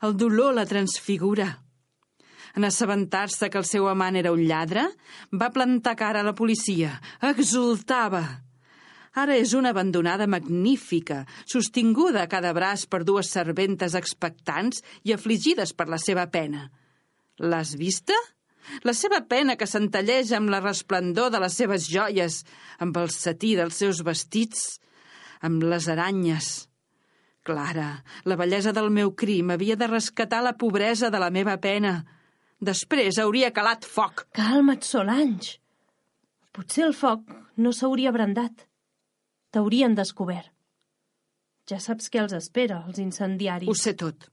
El dolor la transfigura. En assabentar-se que el seu amant era un lladre, va plantar cara a la policia. Exultava. Ara és una abandonada magnífica, sostinguda a cada braç per dues serventes expectants i afligides per la seva pena. L'has vista? La seva pena que centelleja amb la resplendor de les seves joies, amb el setí dels seus vestits. amb les aranyes. Clara, la bellesa del meu crim havia de rescatar la pobresa de la meva pena. Després hauria calat foc. Calma't, Solange. Potser el foc no s'hauria brandat. T'haurien descobert. Ja saps què els espera, els incendiaris. Ho sé tot.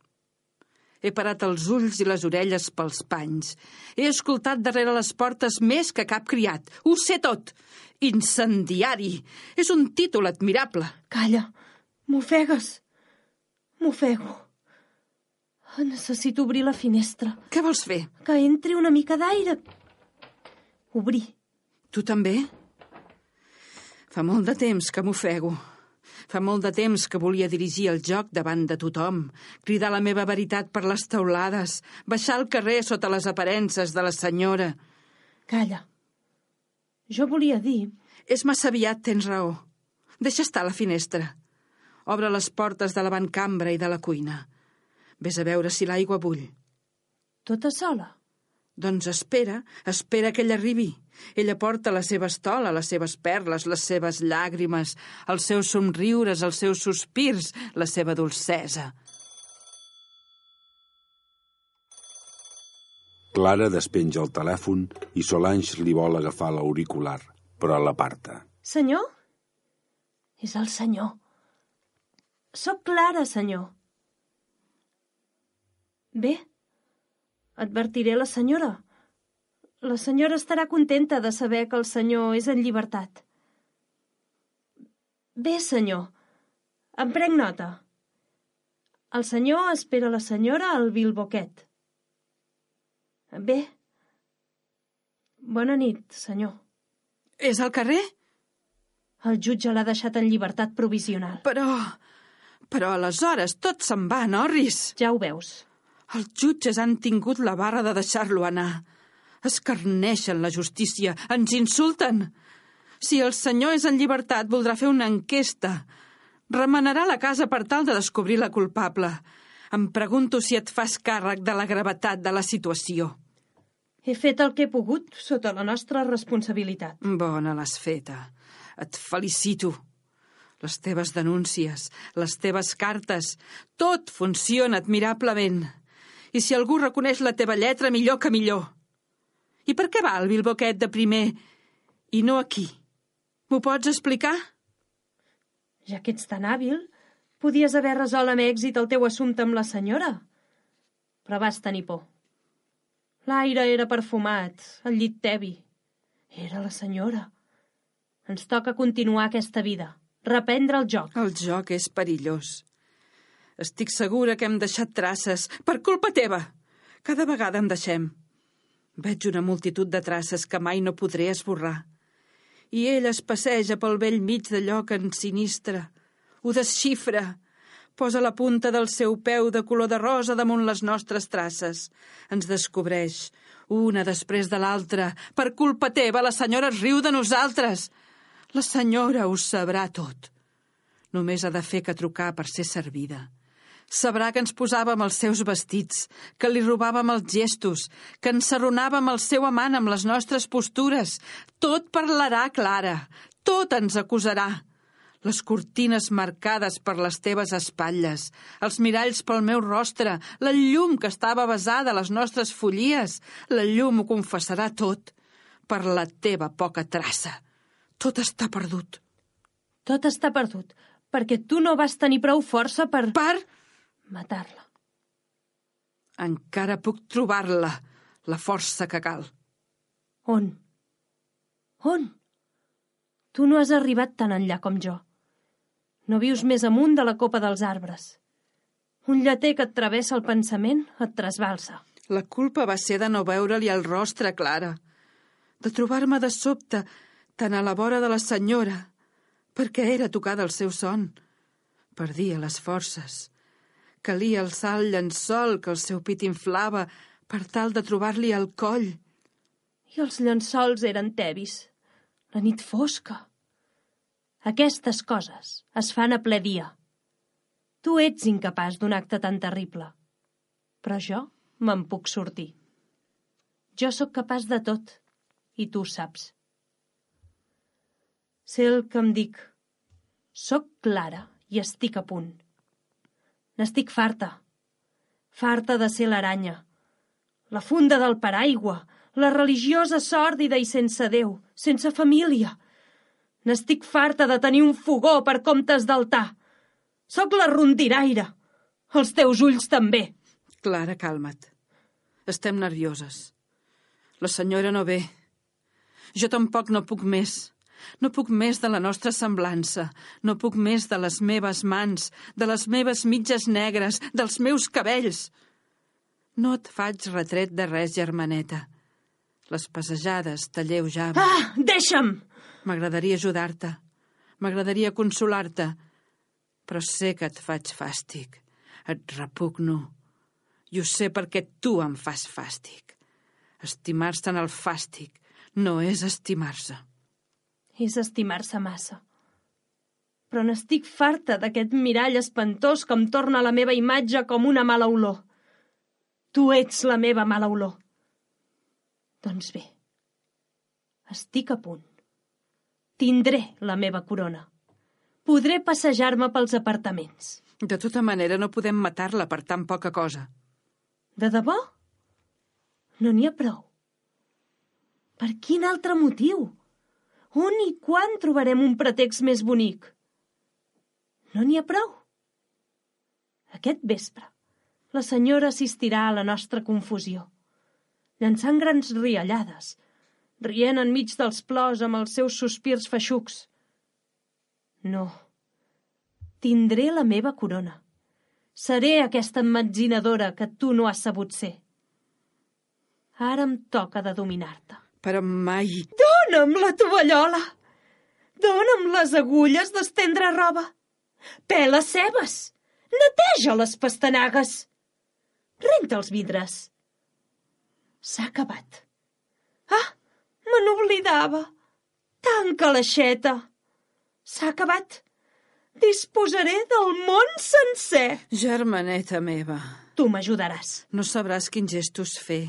He parat els ulls i les orelles pels panys. He escoltat darrere les portes més que cap criat. Ho sé tot. Incendiari. És un títol admirable. Calla, m'ofegues. M'ofego. Necessito obrir la finestra. Què vols fer? Que entri una mica d'aire. Obrir. Tu també? Fa molt de temps que m'ofego. Fa molt de temps que volia dirigir el joc davant de tothom, cridar la meva veritat per les teulades, baixar al carrer sota les aparences de la senyora. Calla. Jo volia dir... És massa aviat, tens raó. Deixa estar la finestra. Obre les portes de l'avantcambra i de la cuina. Ves a veure si l'aigua bull. Tota sola? Doncs espera que ella arribi. Ella porta la seva estola, les seves perles, les seves llàgrimes, els seus somriures, els seus sospirs, la seva dolcesa. Clara despenja el telèfon i Solange li vol agafar l'auricular, però l'aparta. Senyor? És el senyor. Soc Clara, senyor. Bé, advertiré la senyora. La senyora estarà contenta de saber que el senyor és en llibertat. Bé, senyor, em prenc nota. El senyor espera la senyora al Bilboquet. Bé. Bona nit, senyor. És al carrer? El jutge l'ha deixat en llibertat provisional. Però aleshores tot se'n va, Norris. Ja ho veus. Els jutges han tingut la barra de deixar-lo anar. Escarneixen la justícia, ens insulten. Si el senyor és en llibertat, voldrà fer una enquesta. Remenarà la casa per tal de descobrir la culpable. Em pregunto si et fas càrrec de la gravetat de la situació. He fet el que he pogut sota la nostra responsabilitat. Bona l'has feta. Et felicito. Les teves denúncies, les teves cartes, tot funciona admirablement. I si algú reconeix la teva lletra, millor que millor. I per què va al Bilboquet de primer i no aquí? M'ho pots explicar? Ja que ets tan hàbil, podies haver resolt amb èxit el teu assumpte amb la senyora. Però vas tenir por. L'aire era perfumat, el llit tebi. Era la senyora. Ens toca continuar aquesta vida, reprendre el joc. El joc és perillós. Estic segura que hem deixat traces, per culpa teva. Cada vegada en deixem. Veig una multitud de traces que mai no podré esborrar. I ell es passeja pel vell mig d'allò que ens sinistra. Ho desxifra. Posa la punta del seu peu de color de rosa damunt les nostres traces. Ens descobreix, una després de l'altra. Per culpa teva, la senyora es riu de nosaltres. La senyora ho sabrà tot. Només ha de fer que trucar per ser servida. Sabrà que ens posàvem els seus vestits, que li robàvem els gestos, que ensarronàvem el seu amant amb les nostres postures. Tot parlarà, Clara. Tot ens acusarà. Les cortines marcades per les teves espatlles, els miralls pel meu rostre, la llum que estava besada a les nostres follies, la llum ho confessarà tot per la teva poca traça. Tot està perdut. Tot està perdut, perquè tu no vas tenir prou força per matar-la. Encara puc trobar-la, la força que cal. On? On? Tu no has arribat tan enllà com jo. No vius més amunt de la copa dels arbres. Un lleter que et travessa el pensament et trasbalsa. La culpa va ser de no veure-li el rostre, Clara. De trobar-me de sobte tan a la vora de la senyora, perquè era tocada el seu son. Perdia les forces. Calia alçar el llençol que el seu pit inflava per tal de trobar-li el coll. I els llençols eren tebis. La nit fosca. Aquestes coses es fan a ple dia. Tu ets incapaç d'un acte tan terrible. Però jo me'n puc sortir. Jo sóc capaç de tot, i tu ho saps. Sé el que em dic. Soc Clara i estic a punt. N'estic farta. Farta de ser l'aranya, la funda del paraigua, la religiosa sòrdida i sense Déu, sense família. N'estic farta de tenir un fogó per comptes d'altar. Soc la rondinaire. Els teus ulls també. Clara, calma't. Estem nervioses. La senyora no ve. Jo tampoc no puc més. No puc més de la nostra semblança. No puc més de les meves mans, de les meves mitges negres, dels meus cabells. No et faig retret de res, germaneta. Les passejades t'alleujaven. Ah, deixa'm! M'agradaria ajudar-te. M'agradaria consolar-te. Però sé que et faig fàstic. Et repugno. I ho sé perquè tu em fas fàstic. Estimar-se en el fàstic no és estimar-se. És estimar-se massa. Però n'estic farta d'aquest mirall espantós que em torna la meva imatge com una mala olor. Tu ets la meva mala olor. Doncs bé, estic a punt. Tindré la meva corona. Podré passejar-me pels apartaments. De tota manera, no podem matar-la per tan poca cosa. De debò? No n'hi ha prou. Per quin altre motiu? On i quan trobarem un pretext més bonic? No n'hi ha prou. Aquest vespre, la senyora assistirà a la nostra confusió, llançant grans riallades, rient enmig dels plors amb els seus sospirs feixucs. No. Tindré la meva corona. Seré aquesta emmetzinadora que tu no has sabut ser. Ara em toca de dominar-te. Però mai... Dóna'm la tovallola! Dóna'm les agulles d'estendre roba! Pela cebes! Neteja les pastanagues! Renta els vidres! S'ha acabat. Ah, me n'oblidava! Tanca l'aixeta! S'ha acabat! Disposaré del món sencer! Germaneta meva... Tu m'ajudaràs. No sabràs quins gestos fer.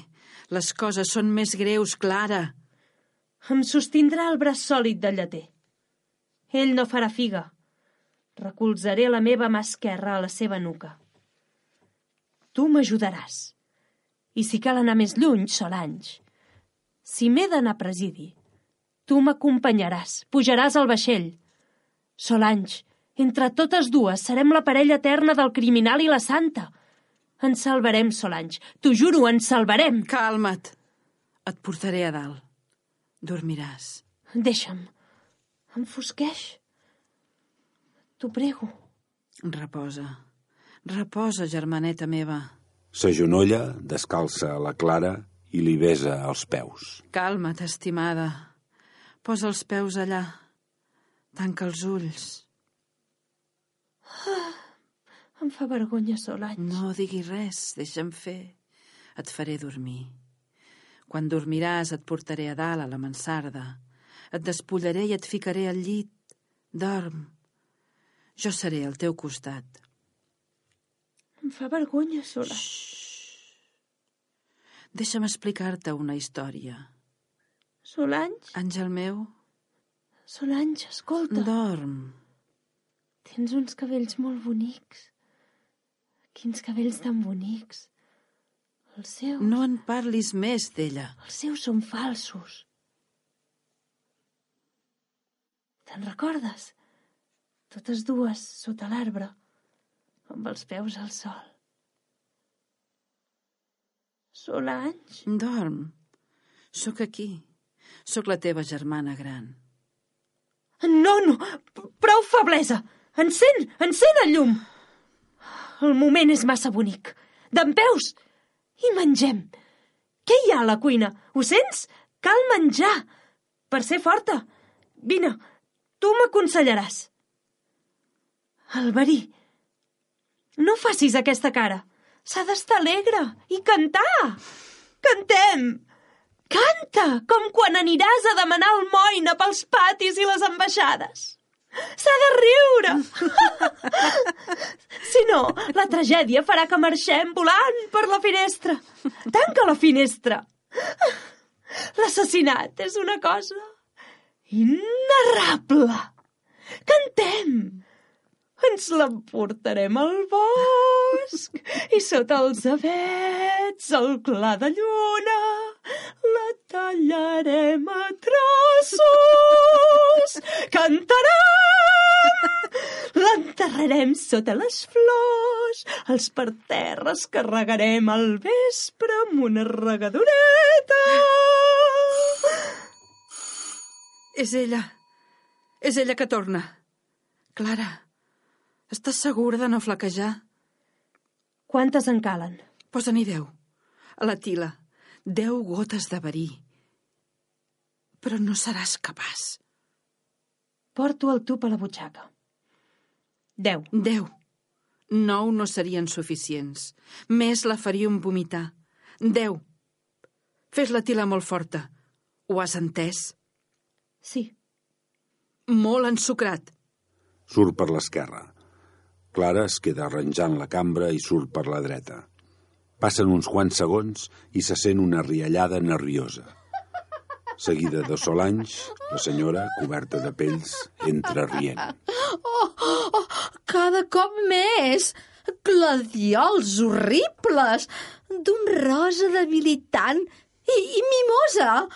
Les coses són més greus, Clara. Em sostindrà el braç sòlid del lleter. Ell no farà figa. Recolzaré la meva mà esquerra a la seva nuca. Tu m'ajudaràs. I si cal anar més lluny, Solange. Si m'he d'anar a presidi, tu m'acompanyaràs, pujaràs al vaixell. Solange, entre totes dues serem la parella eterna del criminal i la santa. Ens salvarem, Solange. T'ho juro, ens salvarem. Calma't. Et portaré a dalt. Dormiràs. Deixa'm. Enfosqueix. T'ho prego. Reposa. Reposa, germaneta meva. S'agenolla, descalça a la Clara i li besa els peus. Calma't, estimada. Posa els peus allà. Tanca els ulls. Em fa vergonya, Solange. No diguis res, deixa'm fer. Et faré dormir. Quan dormiràs et portaré a dalt, a la mansarda. Et despullaré i et ficaré al llit. Dorm. Jo seré al teu costat. Em fa vergonya, Solange. Deixa'm explicar-te una història. Solange? Àngel meu? Solange, escolta. Dorm. Tens uns cabells molt bonics. Quins cabells tan bonics. Els seus... No en parlis més d'ella. Els seus són falsos. Te'n recordes? Totes dues sota l'arbre, amb els peus al sol. Solange? Dorm. Sóc aquí. Sóc la teva germana gran. No, prou feblesa. Encén el llum. El moment és massa bonic. Dempeus i mengem. Què hi ha a la cuina? Ho sents? Cal menjar. Per ser forta. Vine, tu m'aconsellaràs. Alberí, no facis aquesta cara. S'ha d'estar alegre i cantar. Cantem. Canta, com quan aniràs a demanar almoina pels patis i les ambaixades. S'ha de riure. Si no, la tragèdia farà que marxem volant per la finestra. Tanca la finestra. L'assassinat és una cosa inarrable. Cantem! Ens l'emportarem al bosc i sota els avets, al clar de lluna, la tallarem a trossos. Cantarem! L'enterrarem sota les flors, els parterres carregarem al vespre amb una regadoreta. És ella que torna. Clara, estàs segura de no flaquejar? Quantes en calen? Posa-n'hi 10. A la tila. 10 gotes de verí. Però no seràs capaç. Porto el tub a la butxaca. 10. 10. 9 no serien suficients. Més la faríem vomitar. 10. Fes la tila molt forta. Ho has entès? Sí. Molt ensucrat. Surt per l'esquerra. Clara es queda arranjant la cambra i surt per la dreta. Passen uns quants segons i se sent una riallada nerviosa. Seguida de Solange, la senyora, coberta de pells, entra rient. Cada cop més! Gladiols horribles! D'un rosa debilitant i mimosa!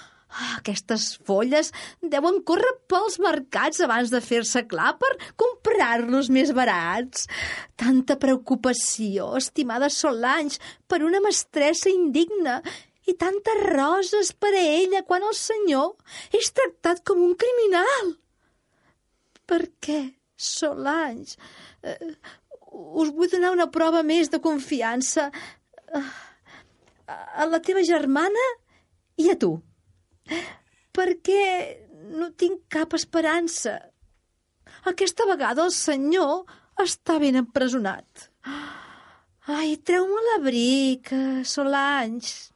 Aquestes folles deuen córrer pels mercats abans de fer-se clar per comprar-los més barats. Tanta preocupació, estimada Solange, per una mestressa indigna i tantes roses per a ella quan el senyor és tractat com un criminal. Per què, Solange? Us vull donar una prova més de confiança a la teva germana i a tu. Perquè no tinc cap esperança. Aquesta vegada el senyor està ben empresonat. Ai, treu-me l'abric, Solange.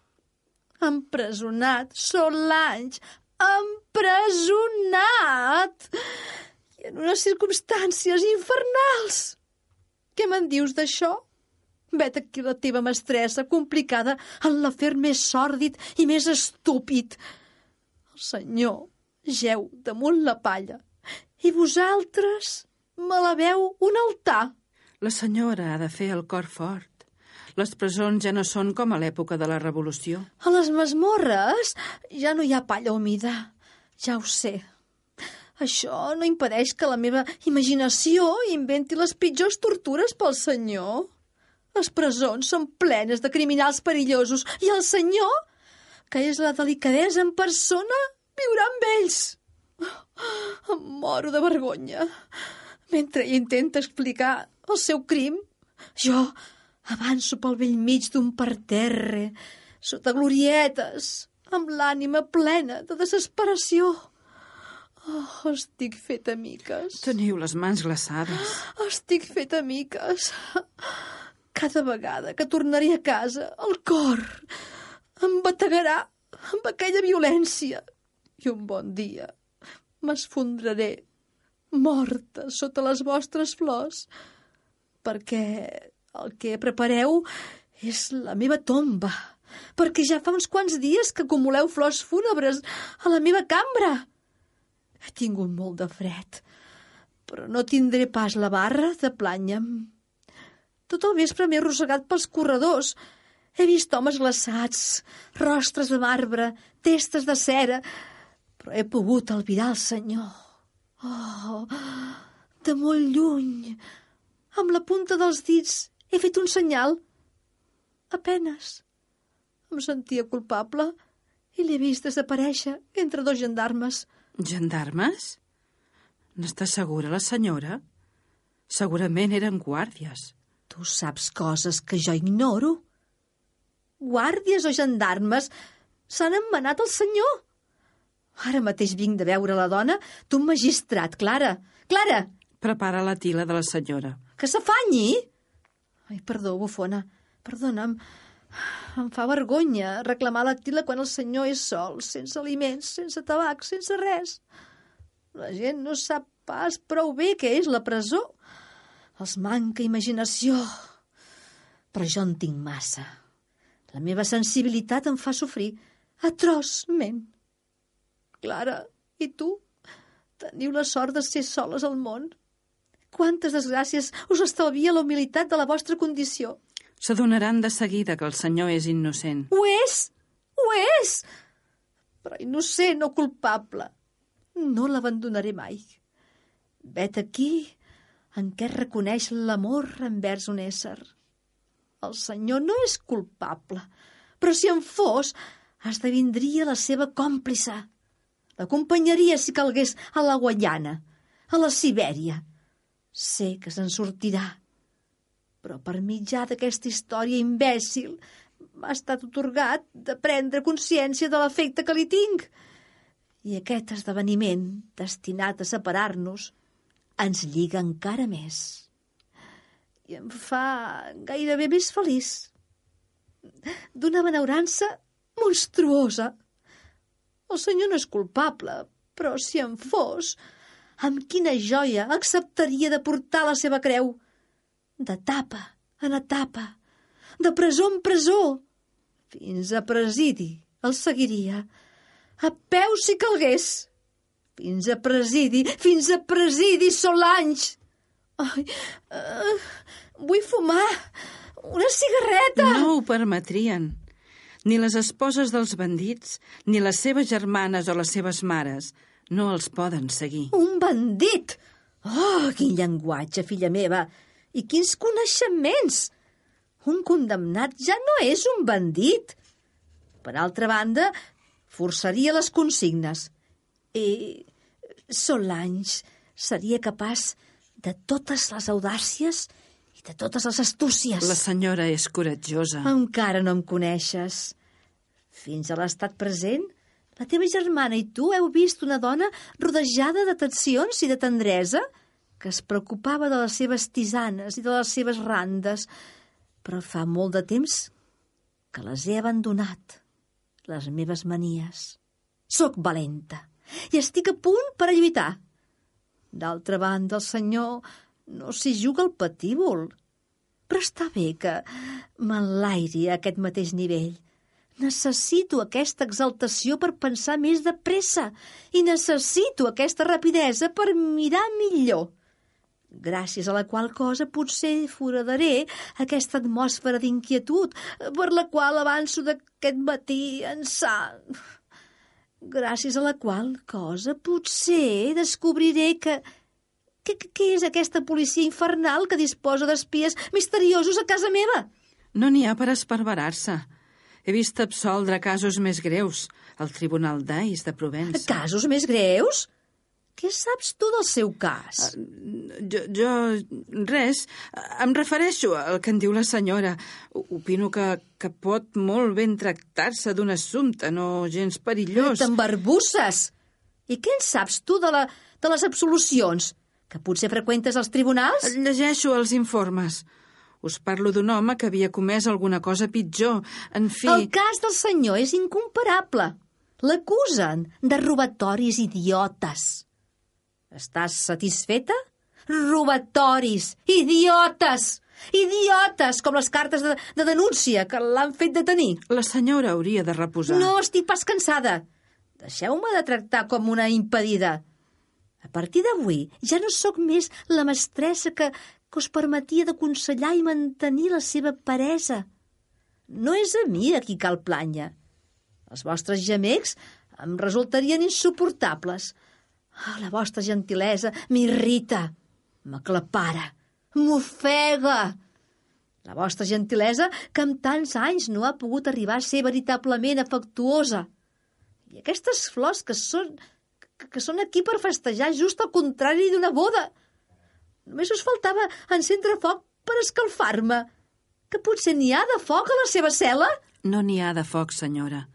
Empresonat, Solange, empresonat! I en unes circumstàncies infernals. Què me'n dius d'això? Vet aquí la teva mestressa, complicada en l'afer més sòrdid i més estúpid. El senyor jeu damunt la palla i vosaltres me la veu un altar. La senyora ha de fer el cor fort. Les presons ja no són com a l'època de la Revolució. A les masmorres ja no hi ha palla humida. Ja ho sé. Això no impedeix que la meva imaginació inventi les pitjors tortures pel senyor. Les presons són plenes de criminals perillosos i el senyor, que és la delicadesa en persona, viurà amb ells. Em moro de vergonya. Mentre ell intenta explicar el seu crim, jo avanço pel bell mig d'un parterre, sota glorietes, amb l'ànima plena de desesperació. Oh, estic feta miques. Teniu les mans glaçades. Estic feta miques. Cada vegada que tornaré a casa, el cor em bategarà amb aquella violència. I un bon dia m'esfondraré, morta sota les vostres flors, perquè el que prepareu és la meva tomba, perquè ja fa uns quants dies que acumuleu flors fúnebres a la meva cambra. He tingut molt de fred, però no tindré pas la barra de plànyer. Tot el vespre m'he arrossegat pels corredors. He vist homes glaçats, rostres de marbre, testes de cera, però he pogut albirar el senyor. Oh, de molt lluny, amb la punta dels dits, he fet un senyal. Apenes. Em sentia culpable i l'he vist desaparèixer entre 2 gendarmes. Gendarmes? N'està segura la senyora? Segurament eren guàrdies. Tu saps coses que jo ignoro. Guàrdies o gendarmes s'han emmenat el senyor. Ara mateix vinc de veure la dona d'un magistrat, Clara. Clara! Prepara la tila de la senyora. Que s'afanyi? Ai, perdó, bufona. Perdona'm. Em fa vergonya reclamar la tila quan el senyor és sol, sense aliments, sense tabac, sense res. La gent no sap pas prou bé què és la presó. Els manca imaginació. Però jo en tinc massa. La meva sensibilitat em fa sofrir atrosment. Clara, i tu? Teniu la sort de ser soles al món. Quantes desgràcies us estalvia la humilitat de la vostra condició. S'adonaran de seguida que el senyor és innocent. Ho és! Ho és! Però innocent o culpable. No l'abandonaré mai. Vet aquí en què reconeix l'amor envers un ésser. El senyor no és culpable, però si en fos, esdevindria la seva còmplice. L'acompanyaria si calgués a la Guaiana, a la Sibèria. Sé que se'n sortirà, però per mitjà d'aquesta història imbècil m'ha estat atorgat de prendre consciència de l'efecte que li tinc. I aquest esdeveniment, destinat a separar-nos, ens lliga encara més. I em fa gairebé més feliç. D'una benaurança monstruosa. El senyor no és culpable, però si en fos, amb quina joia acceptaria de portar la seva creu. D'etapa en etapa, de presó en presó, fins a presidi el seguiria, a peu si calgués. Fins a presidi, Solange. Ai, vull fumar una cigarreta. No ho permetrien. Ni les esposes dels bandits, ni les seves germanes o les seves mares no els poden seguir. Un bandit! Oh, quin llenguatge, filla meva! I quins coneixements! Un condemnat ja no és un bandit. Per altra banda, forçaria les consignes. I Solange seria capaç de totes les audàcies i de totes les astúcies. La senyora és coratjosa. Encara no em coneixes. Fins a l'estat present, la teva germana i tu heu vist una dona rodejada d'atencions i de tendresa que es preocupava de les seves tisanes i de les seves randes, però fa molt de temps que les he abandonat, les meves manies. Soc valenta i estic a punt per a lluitar. D'altra banda, el senyor no s'hi juga el patíbul, però està bé que m'enlairi a aquest mateix nivell. Necessito aquesta exaltació per pensar més de pressa i necessito aquesta rapidesa per mirar millor, gràcies a la qual cosa potser foradaré aquesta atmosfera d'inquietud per la qual avanço d'aquest matí ençà. Gràcies a la qual cosa potser descobriré que és aquesta policia infernal que disposa d'espies misteriosos a casa meva. No n'hi ha per esparverar-se. He vist absoldre casos més greus al Tribunal d'Ais de Provença. Casos més greus? Què saps tu del seu cas? Res. Em refereixo al que en diu la senyora. Opino que pot molt ben tractar-se d'un assumpte no gens perillós. T'embarbusses! I què en saps tu de les absolucions? Que potser freqüentes els tribunals? Llegeixo els informes. Us parlo d'un home que havia comès alguna cosa pitjor. En fi... El cas del senyor és incomparable. L'acusen de robatoris idiotes. Estàs satisfeta? Robatoris! Idiotes! Idiotes! Com les cartes de denúncia que l'han fet detenir. La senyora hauria de reposar. No estic pas cansada. Deixeu-me de tractar com una impedida. A partir d'avui ja no sóc més la mestressa que us permetia d'aconsellar i mantenir la seva peresa. No és a mi a qui cal planya. Els vostres gemecs em resultarien insuportables. La vostra gentilesa m'irrita, m'aclapara, m'ofega. La vostra gentilesa, que amb tants anys no ha pogut arribar a ser veritablement afectuosa. I aquestes flors que són aquí per festejar just al contrari d'una boda. Només us faltava encendre foc per escalfar-me. Que potser n'hi ha de foc a la seva cel·la? No n'hi ha de foc, senyora.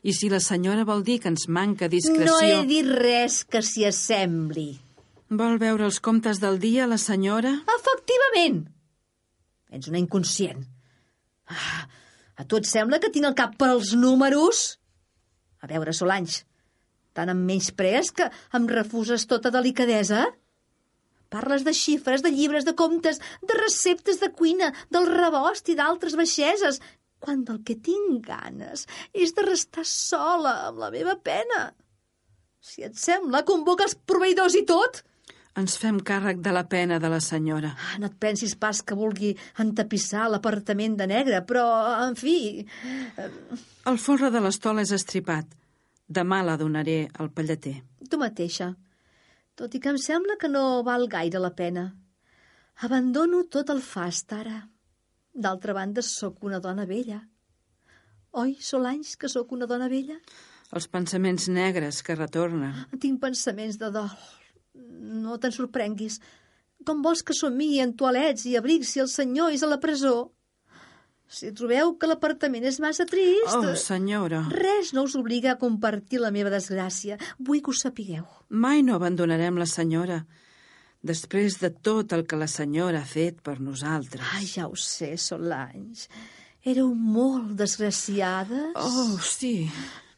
I si la senyora vol dir que ens manca discreció... No he dit res que s'hi assembli. Vol veure els comptes del dia, la senyora? Efectivament. Ets una inconscient. A tu et sembla que tinc el cap per als números? A veure, Solange, tant em menysprees que em refuses tota delicadesa? Parles de xifres, de llibres, de comptes, de receptes de cuina, del rebost i d'altres baixeses, quan del que tinc ganes és de restar sola amb la meva pena. Si et sembla, convoca els proveïdors i tot. Ens fem càrrec de la pena de la senyora. No et pensis pas que vulgui entapissar l'apartament de negre, però, en fi... El folre de l'estol és estripat. Demà la donaré al pallater. Tu mateixa. Tot i que em sembla que no val gaire la pena. Abandono tot el fast, ara. D'altra banda, sóc una dona vella. Oi, Solanys, que sóc una dona vella? Els pensaments negres que retornen. Tinc pensaments de dol. No te'n sorprenguis. Com vols que somii en toalets i abrics si el senyor és a la presó? Si trobeu que l'apartament és massa trist... Oh, senyora. Res no us obliga a compartir la meva desgràcia. Vull que ho sapigueu. Mai no abandonarem la senyora, després de tot el que la senyora ha fet per nosaltres. Ai, ja ho sé, Solanys. Éreu molt desgraciades. Oh, sí.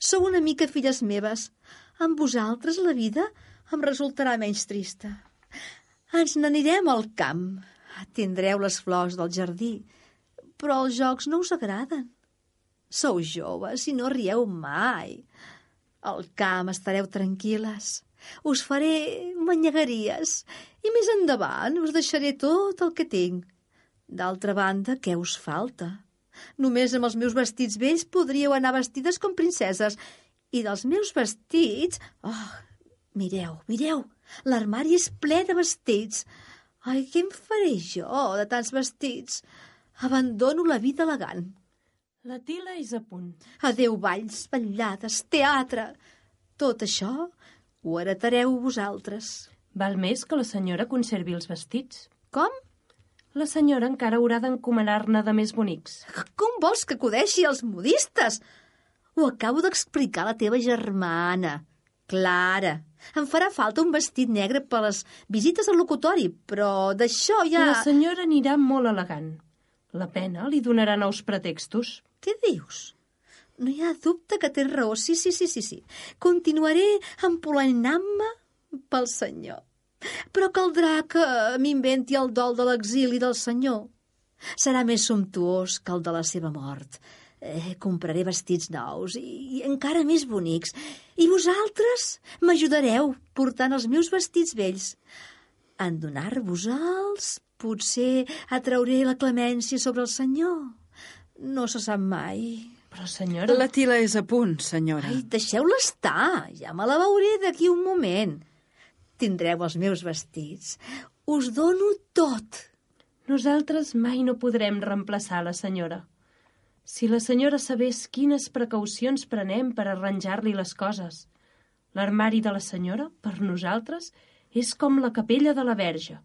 Sou una mica filles meves. Amb vosaltres la vida em resultarà menys trista. Ens n'anirem al camp. Tindreu les flors del jardí, però els jocs no us agraden. Sou joves i no rieu mai. Al camp estareu tranquil·les. Us faré manyegueries i més endavant us deixaré tot el que tinc. D'altra banda, què us falta? Només amb els meus vestits vells podríeu anar vestides com princeses. I dels meus vestits... Oh, mireu, l'armari és ple de vestits. Ai, què em faré jo de tants vestits? Abandono la vida elegant. La Tila és a punt. Adéu balls, ballades, teatre. Tot això ho heretareu vosaltres. Val més que la senyora conservi els vestits. Com? La senyora encara haurà d'encomanar-ne de més bonics. Com vols que acudeixi als modistes? Ho acabo d'explicar a la teva germana, Clara. Em farà falta un vestit negre per les visites al locutori, però d'això ja... La senyora anirà molt elegant. La pena li donarà nous pretextos. Què dius? No hi ha dubte que tens raó. Sí. Continuaré empolenant-me pel senyor. Però caldrà que m'inventi el dol de l'exili del senyor. Serà més sumptuós que el de la seva mort. Compraré vestits nous i encara més bonics. I vosaltres m'ajudareu portant els meus vestits vells. En donar-vos-els, potser atrauré la clemència sobre el senyor. No se sap mai. Però, senyora... La Tila és a punt, senyora. Ai, deixeu-la estar. Ja me la veuré d'aquí un moment. Tindreu els meus vestits. Us dono tot. Nosaltres mai no podrem reemplaçar la senyora. Si la senyora sabés quines precaucions prenem per arranjar-li les coses. L'armari de la senyora, per nosaltres, és com la capella de la Verge.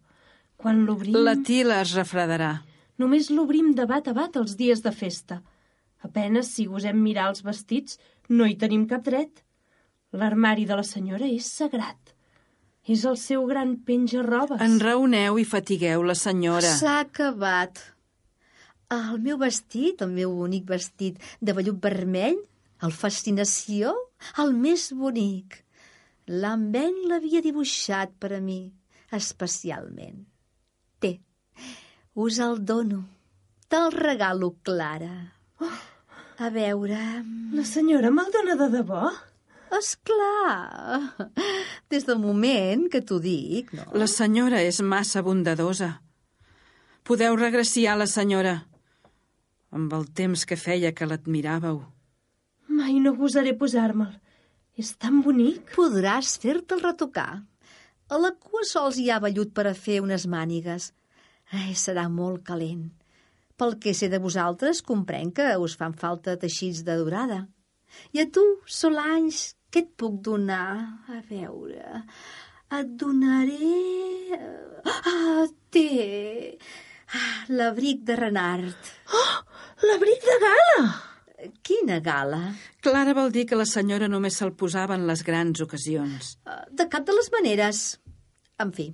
Quan l'obrim... La Tila es refredarà. Només l'obrim de bat a bat els dies de festa. Apenes si gosem mirar els vestits, no hi tenim cap dret. L'armari de la senyora és sagrat. És el seu gran penja-robes. Enraoneu i fatigueu la senyora. S'ha acabat. El meu vestit, el meu únic vestit de vellut vermell, el Fascinació, el més bonic. L'Ambent l'havia dibuixat per a mi, especialment. Té, us el dono. Te'l regalo, Clara. A veure... La senyora me'l dona de debò? Esclar. Des del moment que t'ho dic, no? La senyora és massa bondadosa. Podeu regraciar la senyora. Amb el temps que feia que l'admiràveu. Mai no gosaré posar-me'l. És tan bonic. Podràs fer-te'l retocar. A la cua sols hi ha vellut per a fer unes mànigues. Serà molt calent. Pel que sé de vosaltres, comprenc que us fan falta teixits de durada. I a tu, Solanys, què et puc donar? A veure... Et donaré... Té... L'abric de Renard. Oh! L'abric de gala! Quina gala? Clara vol dir que la senyora només se'l posava en les grans ocasions. De cap de les maneres. En fi,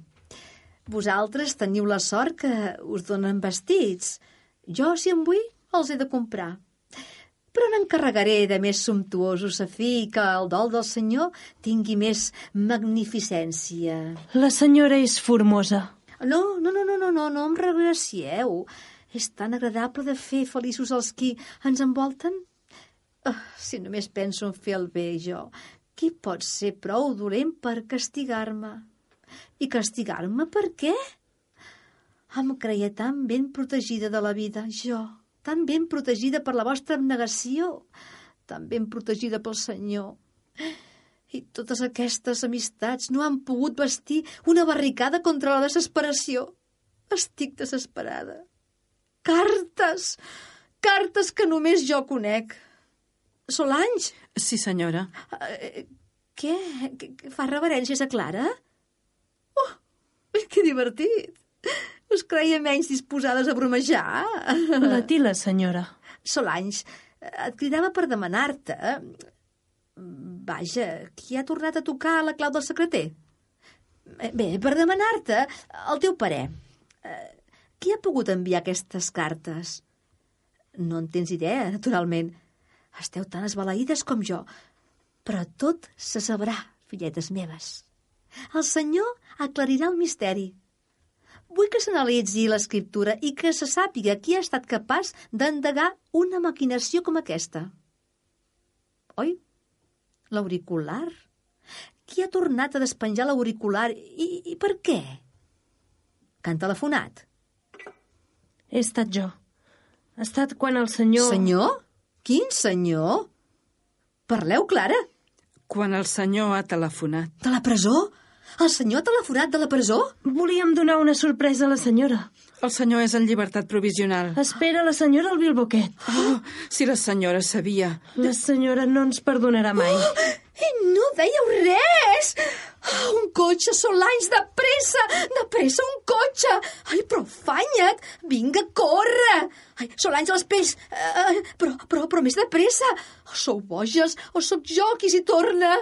vosaltres teniu la sort que us donen vestits. Jo, si en vull, els he de comprar. Però n'encarregaré de més sumptuosos a fi que el dol del senyor tingui més magnificència. La senyora és formosa. No em regracieu. És tan agradable de fer feliços els qui ens envolten. Si només penso en fer el bé, jo. Qui pot ser prou dolent per castigar-me? I castigar-me per què? Em creia tan ben protegida de la vida, jo, tan ben protegida per la vostra abnegació, tan ben protegida pel Senyor. I totes aquestes amistats no han pogut vestir una barricada contra la desesperació. Estic desesperada. Cartes! Cartes que només jo conec. Solange! Sí, senyora. Què? Fa reverències a Clara? Oh, que divertit! Us creia menys disposades a bromejar? La Tila, senyora. Solange, et cridava per demanar-te... Vaja, qui ha tornat a tocar la clau del secreter? Bé, per demanar-te el teu parer. Qui ha pogut enviar aquestes cartes? No en tens idea, naturalment. Esteu tan esbalaïdes com jo. Però tot se sabrà, filletes meves. El Senyor aclarirà el misteri. Vull que s'analitzi l'escriptura i que se sàpiga qui ha estat capaç d'endegar una maquinació com aquesta. Oi? L'auricular? Qui ha tornat a despenjar l'auricular i per què? Que han telefonat? He estat jo. Ha estat quan el senyor... Senyor? Quin senyor? Parleu, Clara. Quan el senyor ha telefonat. De la presó? El senyor ha telefonat de la presó? Volíem donar una sorpresa a la senyora. El senyor és en llibertat provisional. Espera la senyora al Bilboquet. Oh, si la senyora sabia. La senyora no ens perdonarà mai. I no dèieu res! Un cotxe, Solange, de pressa, un cotxe! Ai, però afanya't! Vinga, corre! Ai, Solange, les pells! Però més de pressa! O sou boges, o sóc jo qui s'hi torna!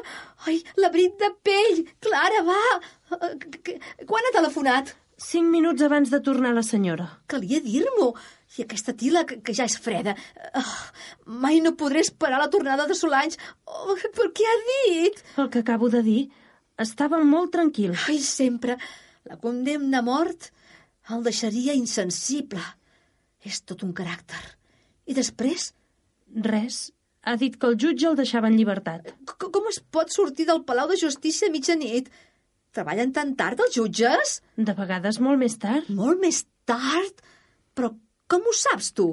Ai, l'abrit de pell! Clara, va! Quan ha telefonat? 5 minuts abans de tornar la senyora. Calia dir-m'ho. I aquesta tila, que ja és freda. Mai no podré esperar la tornada de Solange. Oh, per què ha dit? El que acabo de dir, estava molt tranquil. Ai, sempre. La condemna a mort el deixaria insensible. És tot un caràcter. I després? Res. Ha dit que el jutge el deixava en llibertat. Com es pot sortir del Palau de Justícia a mitjanit? Treballen tan tard els jutges? De vegades molt més tard. Molt més tard? Però com ho saps, tu?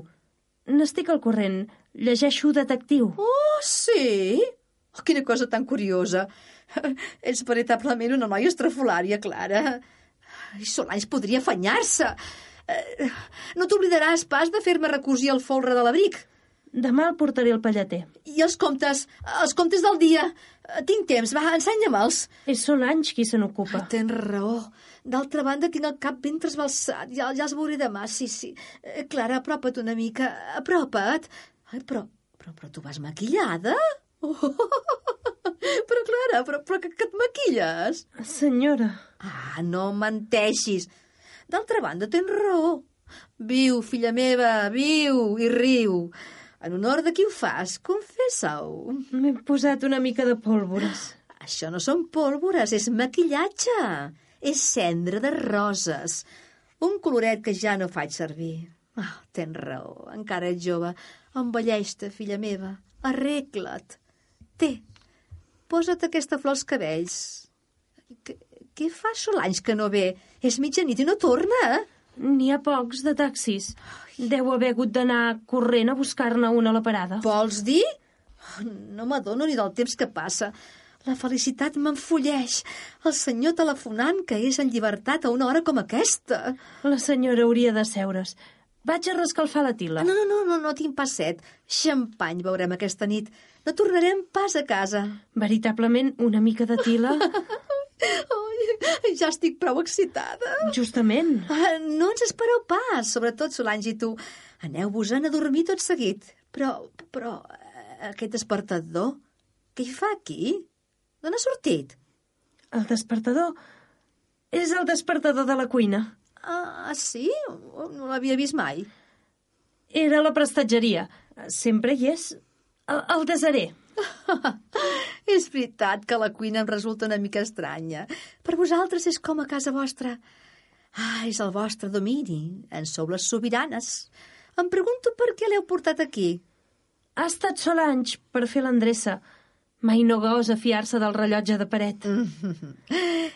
N'estic al corrent. Llegeixo Detectiu. Oh, sí? Oh, quina cosa tan curiosa. Ets veritablement una noia estrafolària, Clara. Solange podria afanyar-se. No t'oblidaràs pas de fer-me recosir el folre de l'abric. Demà el portaré al pallater. I els comptes del dia. Tinc temps, va, ensenya-me'ls. És Solange qui se n'ocupa. Tens raó. D'altra banda, tinc el cap ben trasbalsat. Ja els veuré demà, sí. Clara, apropa't una mica. Apropa't. Ai, però tu vas maquillada? Oh, però, Clara, però que et maquilles? Senyora. No menteixis. D'altra banda, tens raó. Viu, filla meva, viu i riu. En honor de qui ho fas, confessa-ho. M'he posat una mica de pólvores. Això no són pólvores, és maquillatge. És cendra de roses. Un coloret que ja no faig servir. Tens raó, encara ets jove. Envelleix-te, filla meva. Arregla't. Posa't aquesta flor als cabells. Què fa Solange que no ve? És mitjanit i no torna, N'hi ha pocs de taxis. Deu haver hagut d'anar corrent a buscar-ne una a la parada. Vols dir? No m'adono ni del temps que passa. La felicitat m'enfolleix. El senyor telefonant que és en llibertat a una hora com aquesta. La senyora hauria de seure's. Vaig a rescalfar la tila. No tinc pas set. Xampany veurem aquesta nit. No tornarem pas a casa. Veritablement, una mica de tila... Ja estic prou excitada. Justament. No ens espereu pas, sobretot Solange i tu. Aneu-vos-en a dormir tot seguit. Però aquest despertador, què hi fa aquí? D'on ha sortit? El despertador és el despertador de la cuina. Sí? No l'havia vist mai. Era la prestatgeria. Sempre hi és. El desaré. És veritat que la cuina em resulta una mica estranya. Per vosaltres és com a casa vostra. És el vostre domini. En sou les sobiranes. Em pregunto per què l'heu portat aquí. Ha estat Solange per fer l'endreça. Mai no gosa fiar-se del rellotge de paret.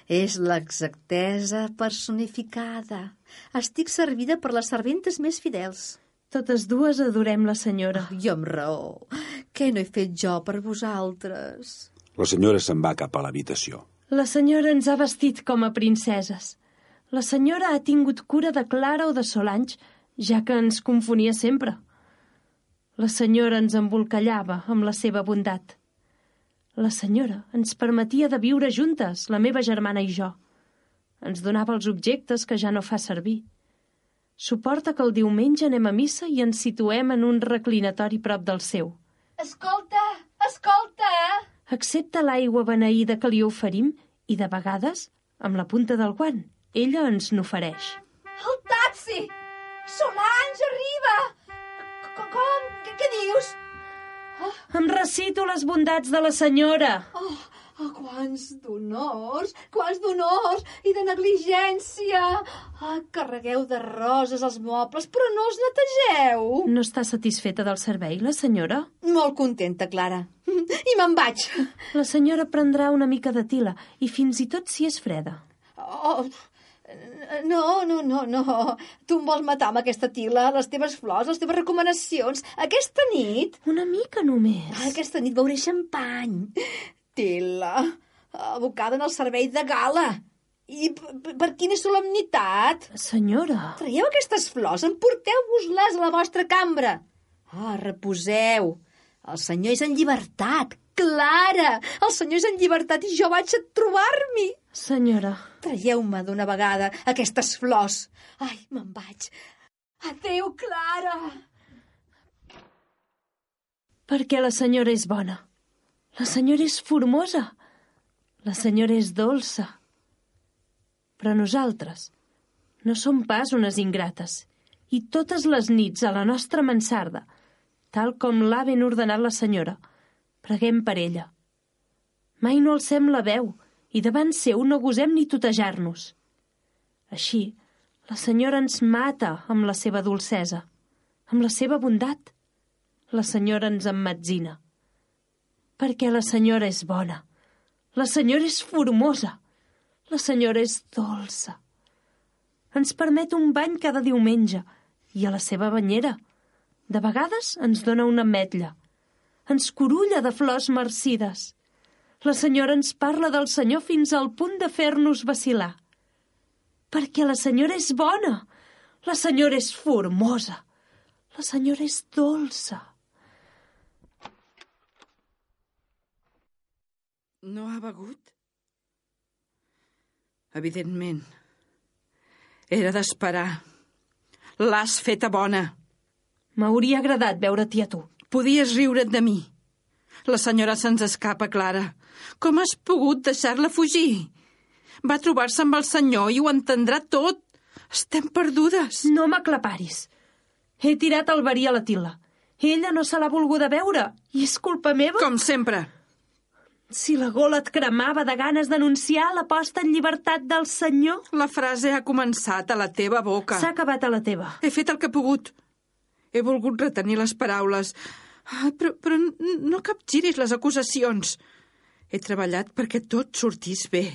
És l'exactesa personificada. Estic servida per les serventes més fidels. Totes dues adorem la senyora. I amb raó. Què no he fet jo per vosaltres? La senyora se'n va cap a l'habitació. La senyora ens ha vestit com a princeses. La senyora ha tingut cura de Clara o de Solange, ja que ens confonia sempre. La senyora ens embolcallava amb la seva bondat. La senyora ens permetia de viure juntes, la meva germana i jo. Ens donava els objectes que ja no fa servir. Suporta que el diumenge anem a missa i ens situem en un reclinatori prop del seu. Escolta, escolta! Accepta l'aigua beneïda que li oferim i, de vegades, amb la punta del guant, ella ens n'ofereix. El taxi! Solange, arriba! Com? Què dius? Em recito les bondats de la senyora. Quants d'honors i de negligència. Carregueu de roses els mobles, però no els netegeu. No està satisfeta del servei, la senyora? Molt contenta, Clara. I me'n vaig. La senyora prendrà una mica de tila, i fins i tot si és freda. No. Tu em vols matar amb aquesta tila, les teves flors, les teves recomanacions. Aquesta nit... Una mica només. Aquesta nit beuré xampany. Tila, abocada en el servei de gala. I per quina solemnitat? Senyora... Traieu aquestes flors, emporteu-vos-les a la vostra cambra. Reposeu. El senyor és en llibertat. Clara, el senyor és en llibertat i jo vaig a trobar-m'hi. Senyora... Traieu-me d'una vegada aquestes flors. Ai, me'n vaig. Adéu, Clara. Perquè la senyora és bona. La senyora és formosa. La senyora és dolça. Però nosaltres no som pas unes ingrates. I totes les nits a la nostra mansarda, tal com l'ha ben ordenat la senyora, preguem per ella. Mai no alcem la veu i davant seu no gosem ni tutejar-nos. Així, la senyora ens mata amb la seva dolcesa, amb la seva bondat. La senyora ens emmetzina. Perquè la senyora és bona. La senyora és formosa. La senyora és dolça. Ens permet un bany cada diumenge i a la seva banyera. De vegades ens dona una ametlla. Ens curulla de flors marcides. La senyora ens parla del senyor fins al punt de fer-nos vacil·lar. Perquè la senyora és bona. La senyora és formosa. La senyora és dolça. No ha begut? Evidentment. Era d'esperar. L'has feta bona. M'hauria agradat veure-t'hi a tu. Podies riure't de mi. La senyora se'ns escapa, Clara. Com has pogut deixar-la fugir? Va trobar-se amb el senyor i ho entendrà tot. Estem perdudes. No m'aclaparis. He tirat el verí a la tila. Ella no se l'ha volguda veure i és culpa meva. Com sempre. Si la gola et cremava de ganes d'anunciar la posta en llibertat del senyor... La frase ha començat a la teva boca. S'ha acabat a la teva. He fet el que he pogut. He volgut retenir les paraules. Però no capgiris les acusacions. He treballat perquè tot sortís bé.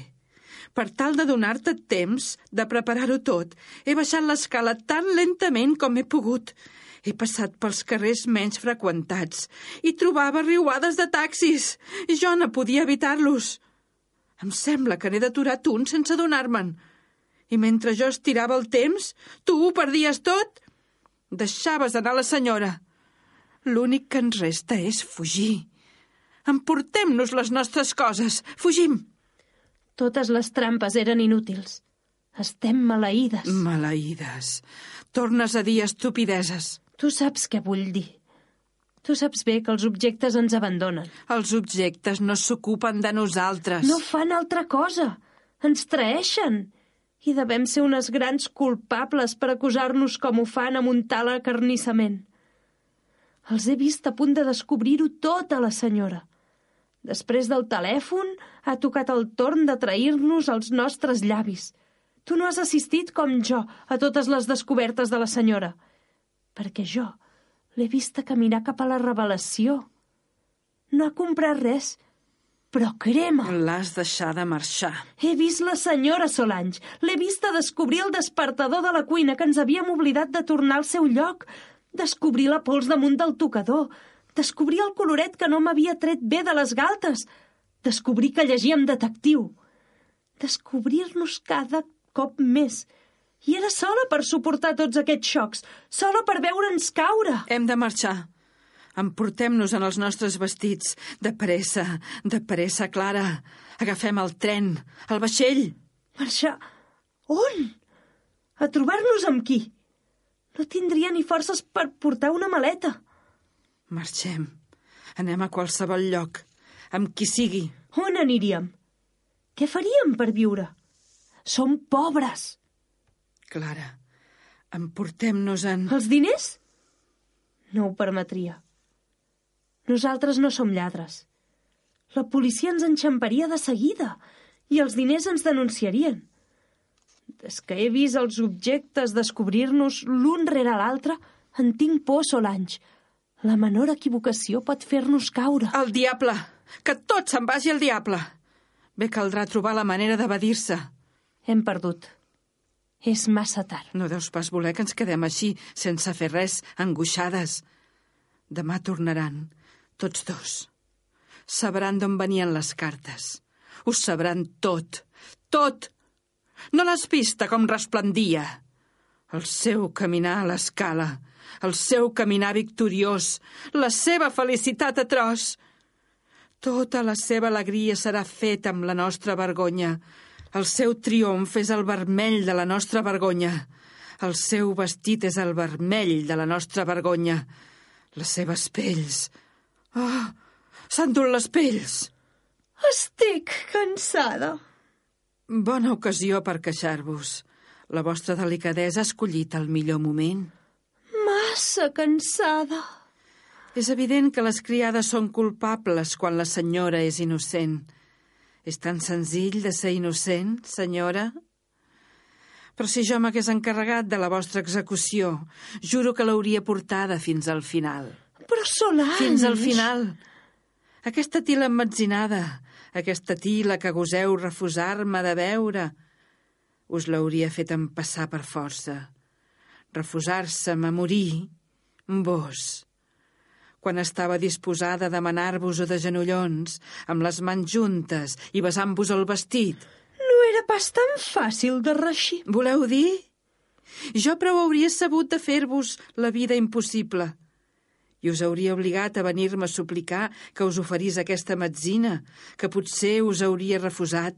Per tal de donar-te temps de preparar-ho tot, he baixat l'escala tan lentament com he pogut. He passat pels carrers menys freqüentats i trobava riuades de taxis. Jo no podia evitar-los. Em sembla que n'he d'aturat un sense adonar-me'n. I mentre jo estirava el temps, tu ho perdies tot. Deixaves anar la senyora. L'únic que ens resta és fugir. Emportem-nos les nostres coses. Fugim. Totes les trampes eren inútils. Estem maleïdes. Maleïdes. Tornes a dir estupideses. Tu saps què vull dir. Tu saps bé que els objectes ens abandonen. Els objectes no s'ocupen de nosaltres. No fan altra cosa. Ens traeixen. I devem ser unes grans culpables per acusar-nos com ho fan amb un tal acarnissament. Els he vist a punt de descobrir-ho tot a la senyora. Després del telèfon ha tocat el torn de trair-nos els nostres llavis. Tu no has assistit com jo a totes les descobertes de la senyora. Perquè jo l'he vista caminar cap a la revelació. No ha comprat res, Però crema. L'has deixada marxar. He vist la senyora Solange. L'he vista descobrir el despertador de la cuina que ens havíem oblidat de tornar al seu lloc. Descobrir la pols damunt del tocador. Descobrir el coloret que no m'havia tret bé de les galtes. Descobrir que llegíem detectiu. Descobrir-nos cada cop més. I era sola per suportar tots aquests xocs. Sola per veure'ns caure. Hem de marxar. Emportem-nos en els nostres vestits. De pressa, Clara. Agafem el tren, el vaixell. Marxar? On? A trobar-nos amb qui? No tindria ni forces per portar una maleta. Marxem. Anem a qualsevol lloc, amb qui sigui. On aniríem? Què faríem per viure? Som pobres. Clara, emportem-nos en... Els diners? No ho permetria. Nosaltres no som lladres. La policia ens enxamparia de seguida i els diners ens denunciarien. Des que he vist els objectes descobrir-nos l'un rere l'altre, en tinc por, Solange. La menor equivocació pot fer-nos caure. El diable! Que tot se'n vagi al diable! Bé caldrà trobar la manera d'evadir-se. Hem perdut. És massa tard. No deus pas voler que ens quedem així, sense fer res, angoixades. Demà tornaran, tots dos. Sabran d'on venien les cartes. Ho sabran tot, tot! No l'has vista com resplendia? El seu caminar a l'escala, el seu caminar victoriós, la seva felicitat atroç. Tota la seva alegria serà feta amb la nostra vergonya. El seu triomf és el vermell de la nostra vergonya. El seu vestit és el vermell de la nostra vergonya. Les seves pells... Oh, s'han dut les pells! Estic cansada. Bona ocasió per queixar-vos. La vostra delicadesa ha escollit el millor moment. Massa cansada. És evident que les criades són culpables quan la senyora és innocent. És tan senzill de ser innocent, senyora? Però si jo m'hagués encarregat de la vostra execució, juro que l'hauria portada fins al final. Però Solange... Fins al final. Aquesta tila emmetzinada, aquesta tila que goseu refusar-me de veure, us l'hauria fet empassar per força. Refusar-se-me a morir, vos. Quan estava disposada a demanar-vos-ho de genollons, amb les mans juntes i besant-vos el vestit. No era pas tan fàcil de reixir. Voleu dir? Jo prou hauria sabut de fer-vos la vida impossible. I us hauria obligat a venir-me a suplicar que us oferís aquesta metzina, que potser us hauria refusat.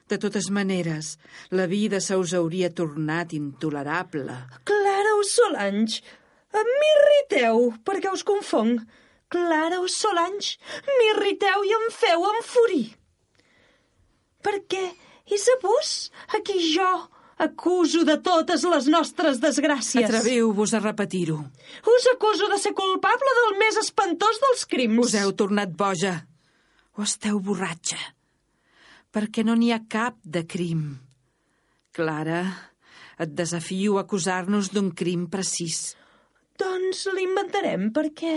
De totes maneres, la vida se us hauria tornat intolerable. Clara o Solange, m'irriteu, perquè us confonc. Clara o Solange, m'irriteu i em feu enfurir. Perquè és a vos a qui jo acuso de totes les nostres desgràcies. Atreviu-vos a repetir-ho. Us acuso de ser culpable del més espantós dels crims. Us heu tornat boja. O esteu borratxa. Perquè no n'hi ha cap de crim. Clara, et desafio a acusar-nos d'un crim precís. Doncs l'inventarem perquè...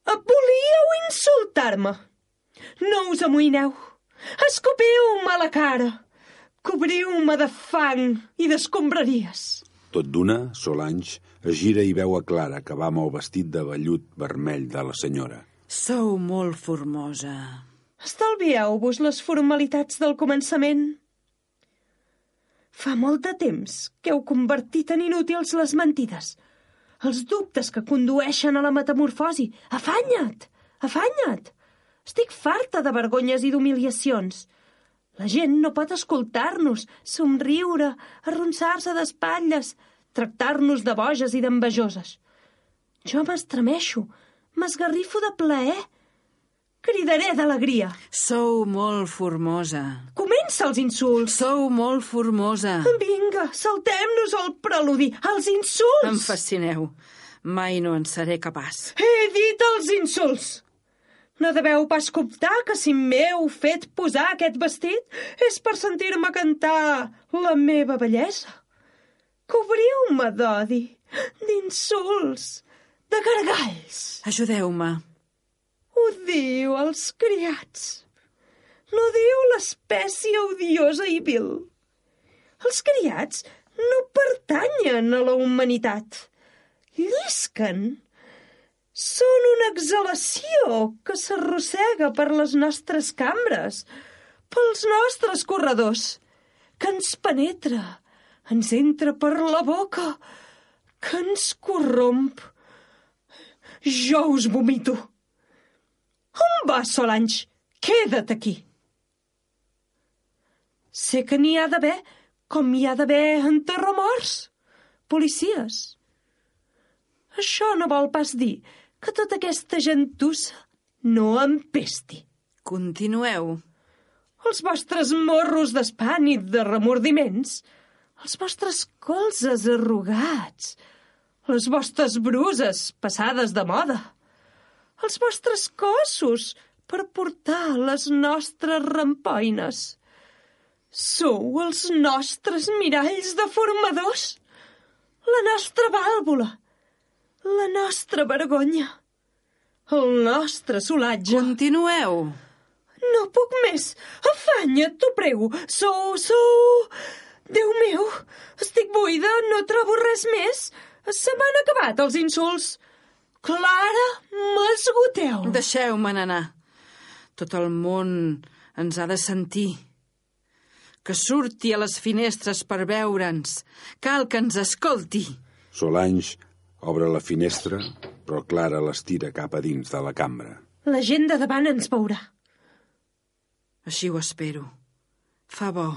volíeu insultar-me. No us amoïneu. Escopiu-me a la cara. Cobriu-me de fang i d'escombraries. Tot d'una, Solange es gira i veu a Clara que va amb el vestit de vellut vermell de la senyora. Sou molt formosa. Estalvieu-vos les formalitats del començament. Fa molt de temps que heu convertit en inútils les mentides, els dubtes que condueixen a la metamorfosi. Afanya't! Afanya't! Estic farta de vergonyes i d'humiliacions. La gent no pot escoltar-nos, somriure, arronsar-se d'espatlles, tractar-nos de boges i d'envejoses. Jo m'estremeixo, m'esgarrifo de plaer. Cridaré d'alegria. Sou molt formosa. Comença els insults. Sou molt formosa. Vinga, saltem-nos el preludi, els insults. Em fascineu. Mai no en seré capaç. He dit els insults. No deveu pas comptar que si m'heu fet posar aquest vestit és per sentir-me cantar la meva bellesa. Cobriu-me d'odi, d'insults, de gargalls. Ajudeu-me. Ho diu els criats. No diu l'espècie odiosa i vil. Els criats no pertanyen a la humanitat. Llisquen. Són una exhalació que s'arrossega per les nostres cambres, pels nostres corredors, que ens penetra, ens entra per la boca, que ens corromp. Jo us vomito. On vas, Solange? Queda't aquí. Sé que n'hi ha d'haver, com hi ha d'haver enterramorts, policies. Això no vol pas dir que tota aquesta gentussa no empesti. Continueu. Els vostres morros d'espant i de remordiments, els vostres colzes arrugats, les vostres bruses passades de moda, els vostres cossos per portar les nostres rampoines. Sou els nostres miralls deformadors, la nostra vàlvula, la nostra vergonya, el nostre solatge. Continueu. No puc més. Afanya't, t'ho prego. Sou... Déu meu, estic buida, no trobo res més. Se m'han acabat els insults. Clara, m'esgoteu. Deixeu-me anar. Tot el món ens ha de sentir. Que surti a les finestres per veure'ns. Cal que ens escolti. Solange obre la finestra, però Clara l'estira cap a dins de la cambra. La gent de davant ens veurà. Així ho espero. Fa bo.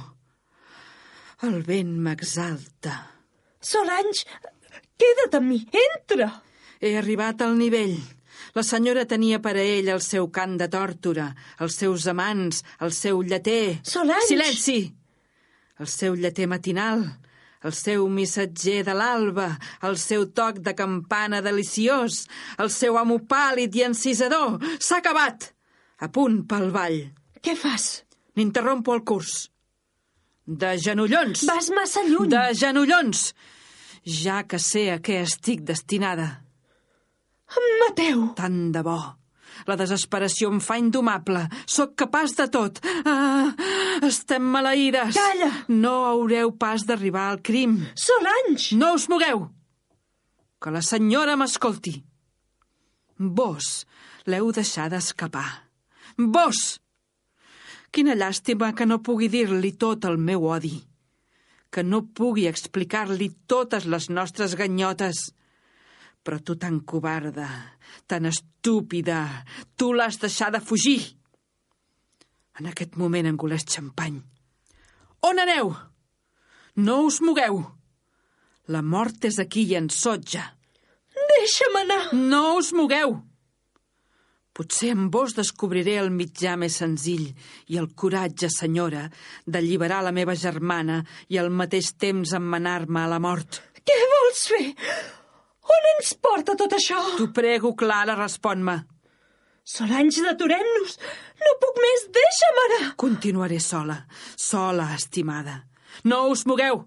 El vent m'exalta. Solange, queda't amb mi, entra. He arribat al nivell. La senyora tenia per a ell el seu cant de tòrtora, els seus amants, el seu lleter... Solange! Silenci! El seu lleter matinal, el seu missatger de l'alba, el seu toc de campana deliciós, el seu amo pàl·lid i encisador. S'ha acabat! A punt pel ball. Què fas? N'interrompo el curs. De genollons! Vas massa lluny. De genollons! Ja que sé a què estic destinada. Em mateu. Tant de bo. La desesperació em fa indomable. Sóc capaç de tot. Ah, estem maleïdes. Calla. No haureu pas d'arribar al crim. Solange! No us mogueu. Que la senyora m'escolti. Vos l'heu deixada escapar. Vos! Quina llàstima que no pugui dir-li tot el meu odi. Que no pugui explicar-li totes les nostres ganyotes. Però tu tan covarda, tan estúpida, tu l'has deixada fugir. En aquest moment engoleix xampany. On aneu? No us mogueu. La mort és aquí i ens sotja. Deixa'm anar. No us mogueu. Potser amb vos descobriré el mitjà més senzill i el coratge, senyora, d'alliberar la meva germana i al mateix temps emmenar-me a la mort. Què vols fer? On ens porta tot això? T'ho prego, Clara, respon-me. Solange, deturem-nos. No puc més, deixa'm anar. Continuaré sola, estimada. No us mogueu.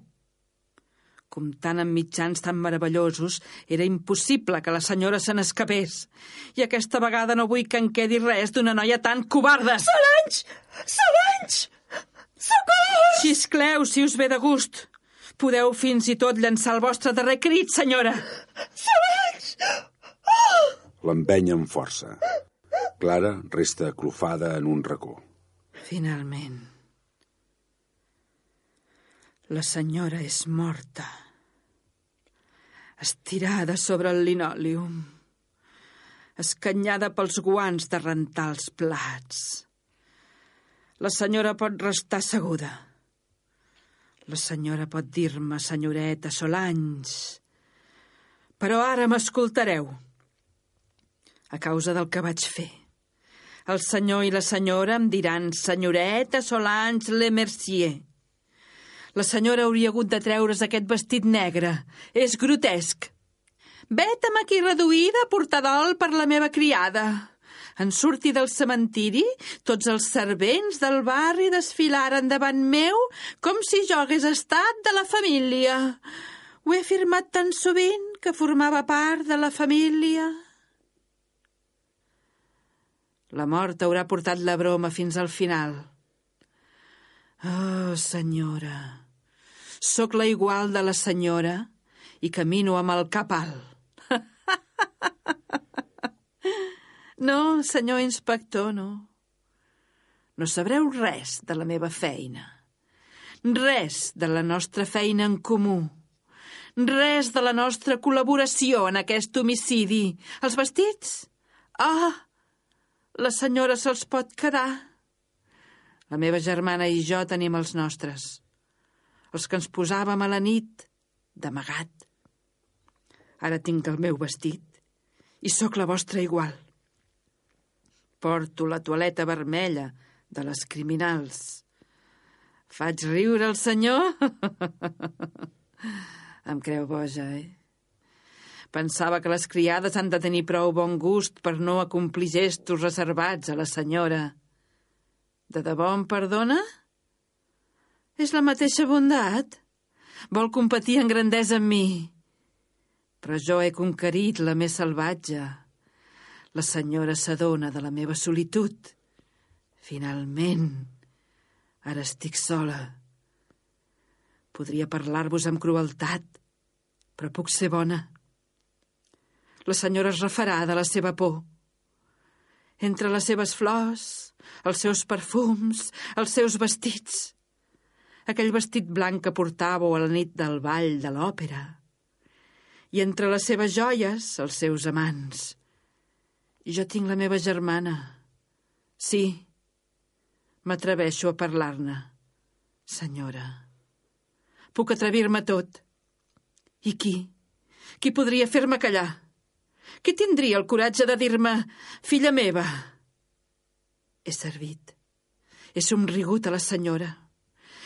Comptant amb mitjans tan meravellosos, era impossible que la senyora se n'escapés. I aquesta vegada no vull que en quedi res d'una noia tan covarda. Solange! Solange! Socors! Xiscleu, si us ve de gust. Podeu fins i tot llançar el vostre darrer crit, senyora. Solange! Oh! L'empeny amb força. Clara resta aclofada en un racó. Finalment. La senyora és morta. Estirada sobre el linòleum. Escanyada pels guants de rentar els plats. La senyora pot restar asseguda. La senyora pot dir-me senyoreta Solange. Però ara m'escoltareu. A causa del que vaig fer. El senyor i la senyora em diran senyoreta Solange Lemercier. La senyora hauria hagut de treure's aquest vestit negre. És grotesc. Vet-me aquí reduïda a portar dol per la meva criada. En sortir del cementiri, tots els servents del barri desfilaren davant meu com si jo hagués estat de la família. Ho he afirmat tan sovint que formava part de la família. La mort haurà portat la broma fins al final. Oh, senyora, sóc la igual de la senyora i camino amb el cap alt. No, senyor inspector, no. No sabreu res de la meva feina. Res de la nostra feina en comú. Res de la nostra col·laboració en aquest homicidi. Els vestits? Ah, la senyora se'ls pot quedar. La meva germana i jo tenim els nostres. Els que ens posàvem a la nit, d'amagat. Ara tinc el meu vestit i sóc la vostra igual. Porto la toaleta vermella de les criminals. Faig riure el senyor? Em creu boja, Pensava que les criades han de tenir prou bon gust per no acomplir gestos reservats a la senyora. De debò em perdona? És la mateixa bondat? Vol competir en grandesa amb mi? Però jo he conquerit la més salvatge. La senyora s'adona de la meva solitud. Finalment, ara estic sola. Podria parlar-vos amb crueltat, però puc ser bona. La senyora es refarà de la seva por. Entre les seves flors, els seus perfums, els seus vestits. Aquell vestit blanc que portàveu a la nit del ball de l'òpera. I entre les seves joies, els seus amants. Jo tinc la meva germana. Sí, m'atreveixo a parlar-ne, senyora. Puc atrevir-me a tot. I qui? Qui podria fer-me callar? Qui tindria el coratge de dir-me, filla meva? He servit. He somrigut a la senyora.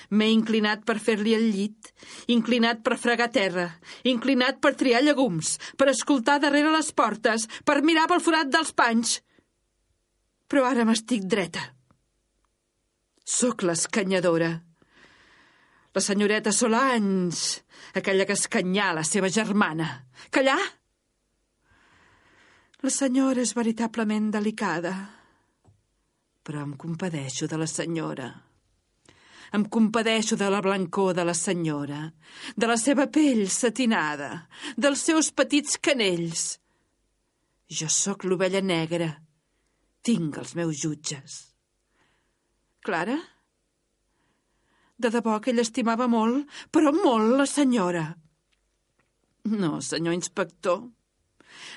M'he inclinat per fer-li el llit, inclinat per fregar terra, inclinat per triar llegums, per escoltar darrere les portes, per mirar pel forat dels panys. Però ara m'estic dreta. Sóc l'escanyadora. La senyoreta Solange, aquella que escanyà la seva germana. Callar? La senyora és veritablement delicada, però em compadeixo de la senyora. Em compadeixo de la blancor de la senyora, de la seva pell satinada, dels seus petits canells. Jo sóc l'ovella negra. Tinc els meus jutges. Clara? De debò que ell estimava molt, però molt, la senyora. No, senyor inspector,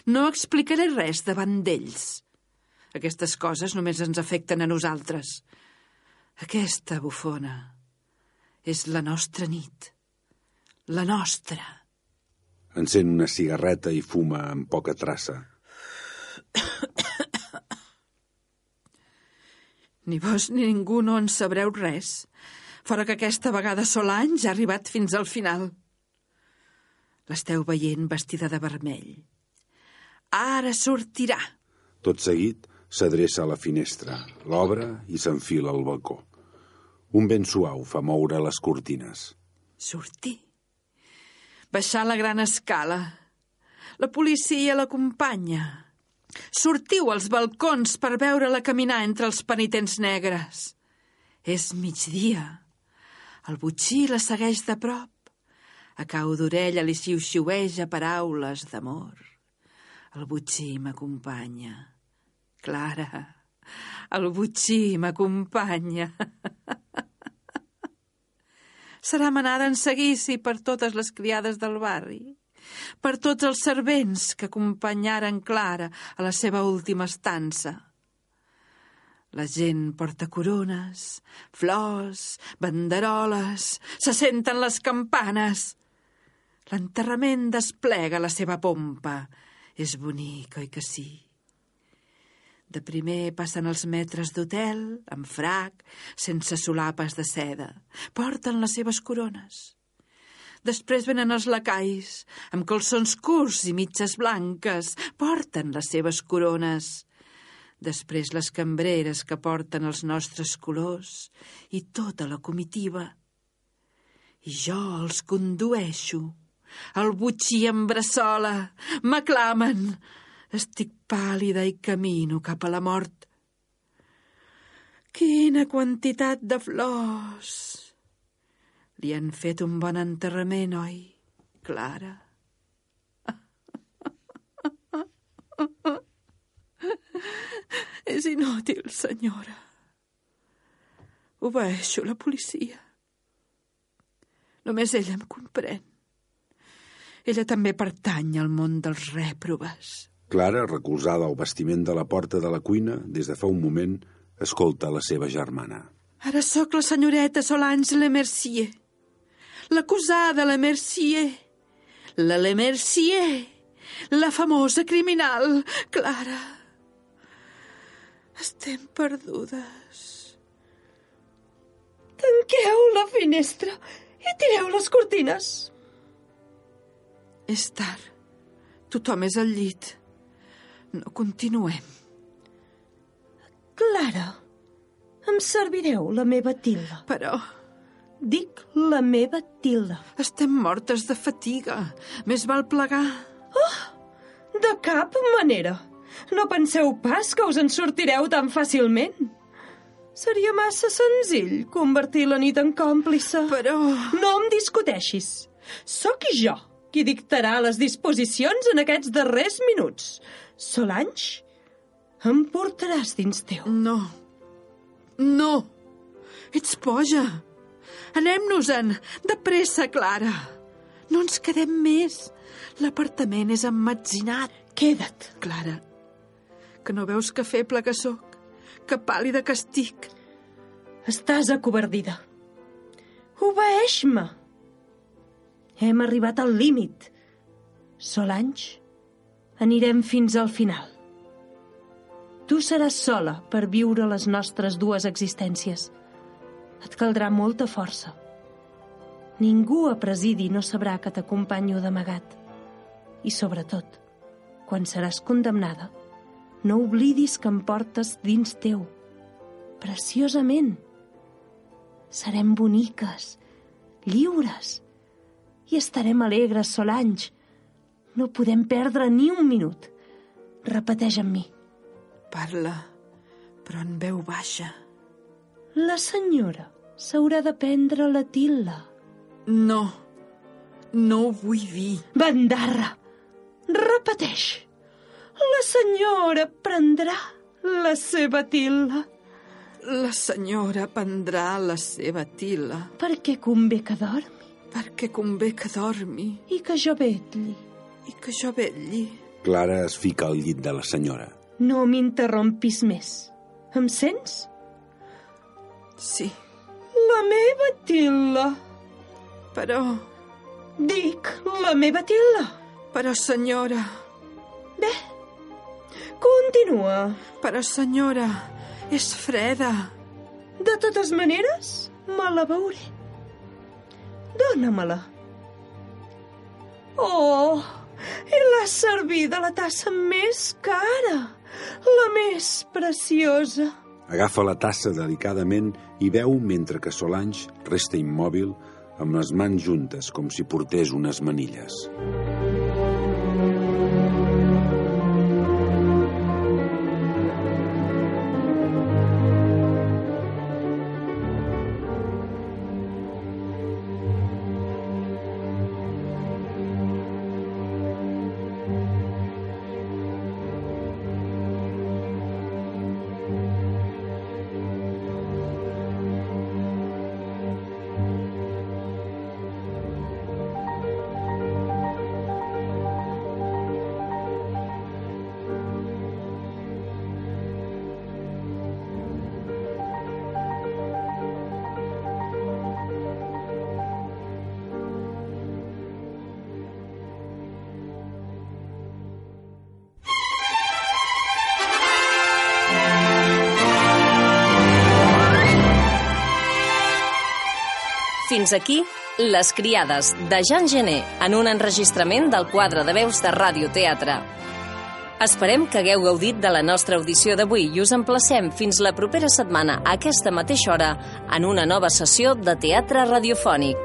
no explicaré res davant d'ells. Aquestes coses només ens afecten a nosaltres. Aquesta bufona és la nostra nit, la nostra. Encén una cigarreta i fuma amb poca traça. Ni vos ni ningú no en sabreu res, fora que aquesta vegada Solange ha arribat fins al final. L'esteu veient vestida de vermell. Ara sortirà. Tot seguit s'adreça a la finestra, l'obre i s'enfila al balcó. Un vent suau fa moure les cortines. Sortir. Baixar la gran escala. La policia l'acompanya. Sortiu als balcons per veure-la caminar entre els penitents negres. És migdia. El botxí la segueix de prop. A cau d'orella li xiu-xiueja paraules d'amor. El botxí m'acompanya. Clara, el botxí m'acompanya. Serà manada en seguici per totes les criades del barri, per tots els servents que acompanyaren Clara a la seva última estança. La gent porta corones, flors, banderoles, se senten les campanes. L'enterrament desplega la seva pompa. És bonic, oi que sí? De primer passen els maîtres d'hotel, amb frac, sense solapes de seda. Porten les seves corones. Després venen els lacais, amb calçons curts i mitges blanques. Porten les seves corones. Després les cambreres que porten els nostres colors i tota la comitiva. I jo els condueixo. El botxí em bressola. M'aclamen. Estic pàl·lida i camino cap a la mort. Quina quantitat de flors! Li han fet un bon enterrament, oi, Clara? És inútil, senyora. Obeeixo la policia. Només ella em comprèn. Ella també pertany al món dels rèproves. Clara, recolzada al bastiment de la porta de la cuina, des de fa un moment, escolta la seva germana. Ara sóc la senyoreta Solange Lemercier. L'acusada Lemercier. La Lemercier. La famosa criminal, Clara. Estem perdudes. Tanqueu la finestra i tireu les cortines. És tard. Tothom és al llit. No continuem. Clara, em servireu la meva tilda. Però Dic la meva tilda. estem mortes de fatiga. Més val plegar. De cap manera. No penseu pas que us en sortireu tan fàcilment. Seria massa senzill convertir la nit en còmplice. Però... No em discuteixis. Sóc jo qui dictarà les disposicions en aquests darrers minuts. Solange, em portaràs dins teu. No. No. Ets boja. Anem-nos-en. De pressa, Clara. No ens quedem més. L'apartament és emmetzinat. Queda't. Clara, que no veus que feble que sóc? Que pàl·lida que estic? Estàs acovardida. Obeeix-me. Hem arribat al límit. Solange, anirem fins al final. Tu seràs sola per viure les nostres dues existències. Et caldrà molta força. Ningú a presidi no sabrà que t'acompanyo d'amagat. I sobretot, quan seràs condemnada, no oblidis que em portes dins teu, preciosament. Serem boniques, lliures, i estarem alegres, Solange. No podem perdre ni un minut. Repeteix amb mi. Parla, però en veu baixa. La senyora s'haurà de prendre la til·la. No, no ho vull dir. Bandarra! Repeteix. La senyora prendrà la seva til·la. La senyora prendrà la seva til·la. Perquè convé que dormi. Perquè convé que dormi. I que jo vetlli. I que jo vetlli. Clara es fica al llit de la senyora. No m'interrompis més. Em sents? Sí, La meva til·la. però... Dic, la meva til·la. Però, senyora... Bé, continua. Però, senyora, és freda. De totes maneres, me la veuré. Dóna-me-la. Oh, i l'has servida la tassa més cara, la més preciosa. Agafa la tassa delicadament i beu mentre que Solange resta immòbil amb les mans juntes com si portés unes manilles. Fins aquí, Les criades, de Jean Genet, en un enregistrament del quadre de veus de Ràdio Teatre. Esperem que hagueu gaudit de la nostra audició d'avui i us emplacem fins la propera setmana a aquesta mateixa hora en una nova sessió de teatre radiofònic.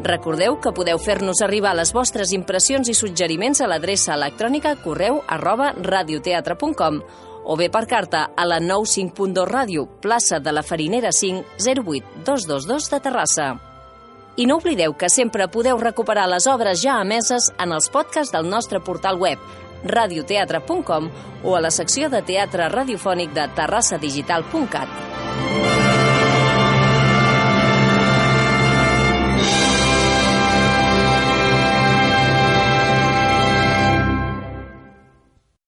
Recordeu que podeu fer-nos arribar les vostres impressions i suggeriments a l'adreça electrònica correu@radioteatre.com o bé per carta a la 95.2 Ràdio, plaça de la Farinera 5, 08222 de Terrassa. I no oblideu que sempre podeu recuperar les obres ja emeses en els podcasts del nostre portal web radioteatre.com o a la secció de teatre radiofònic de terrassadigital.cat.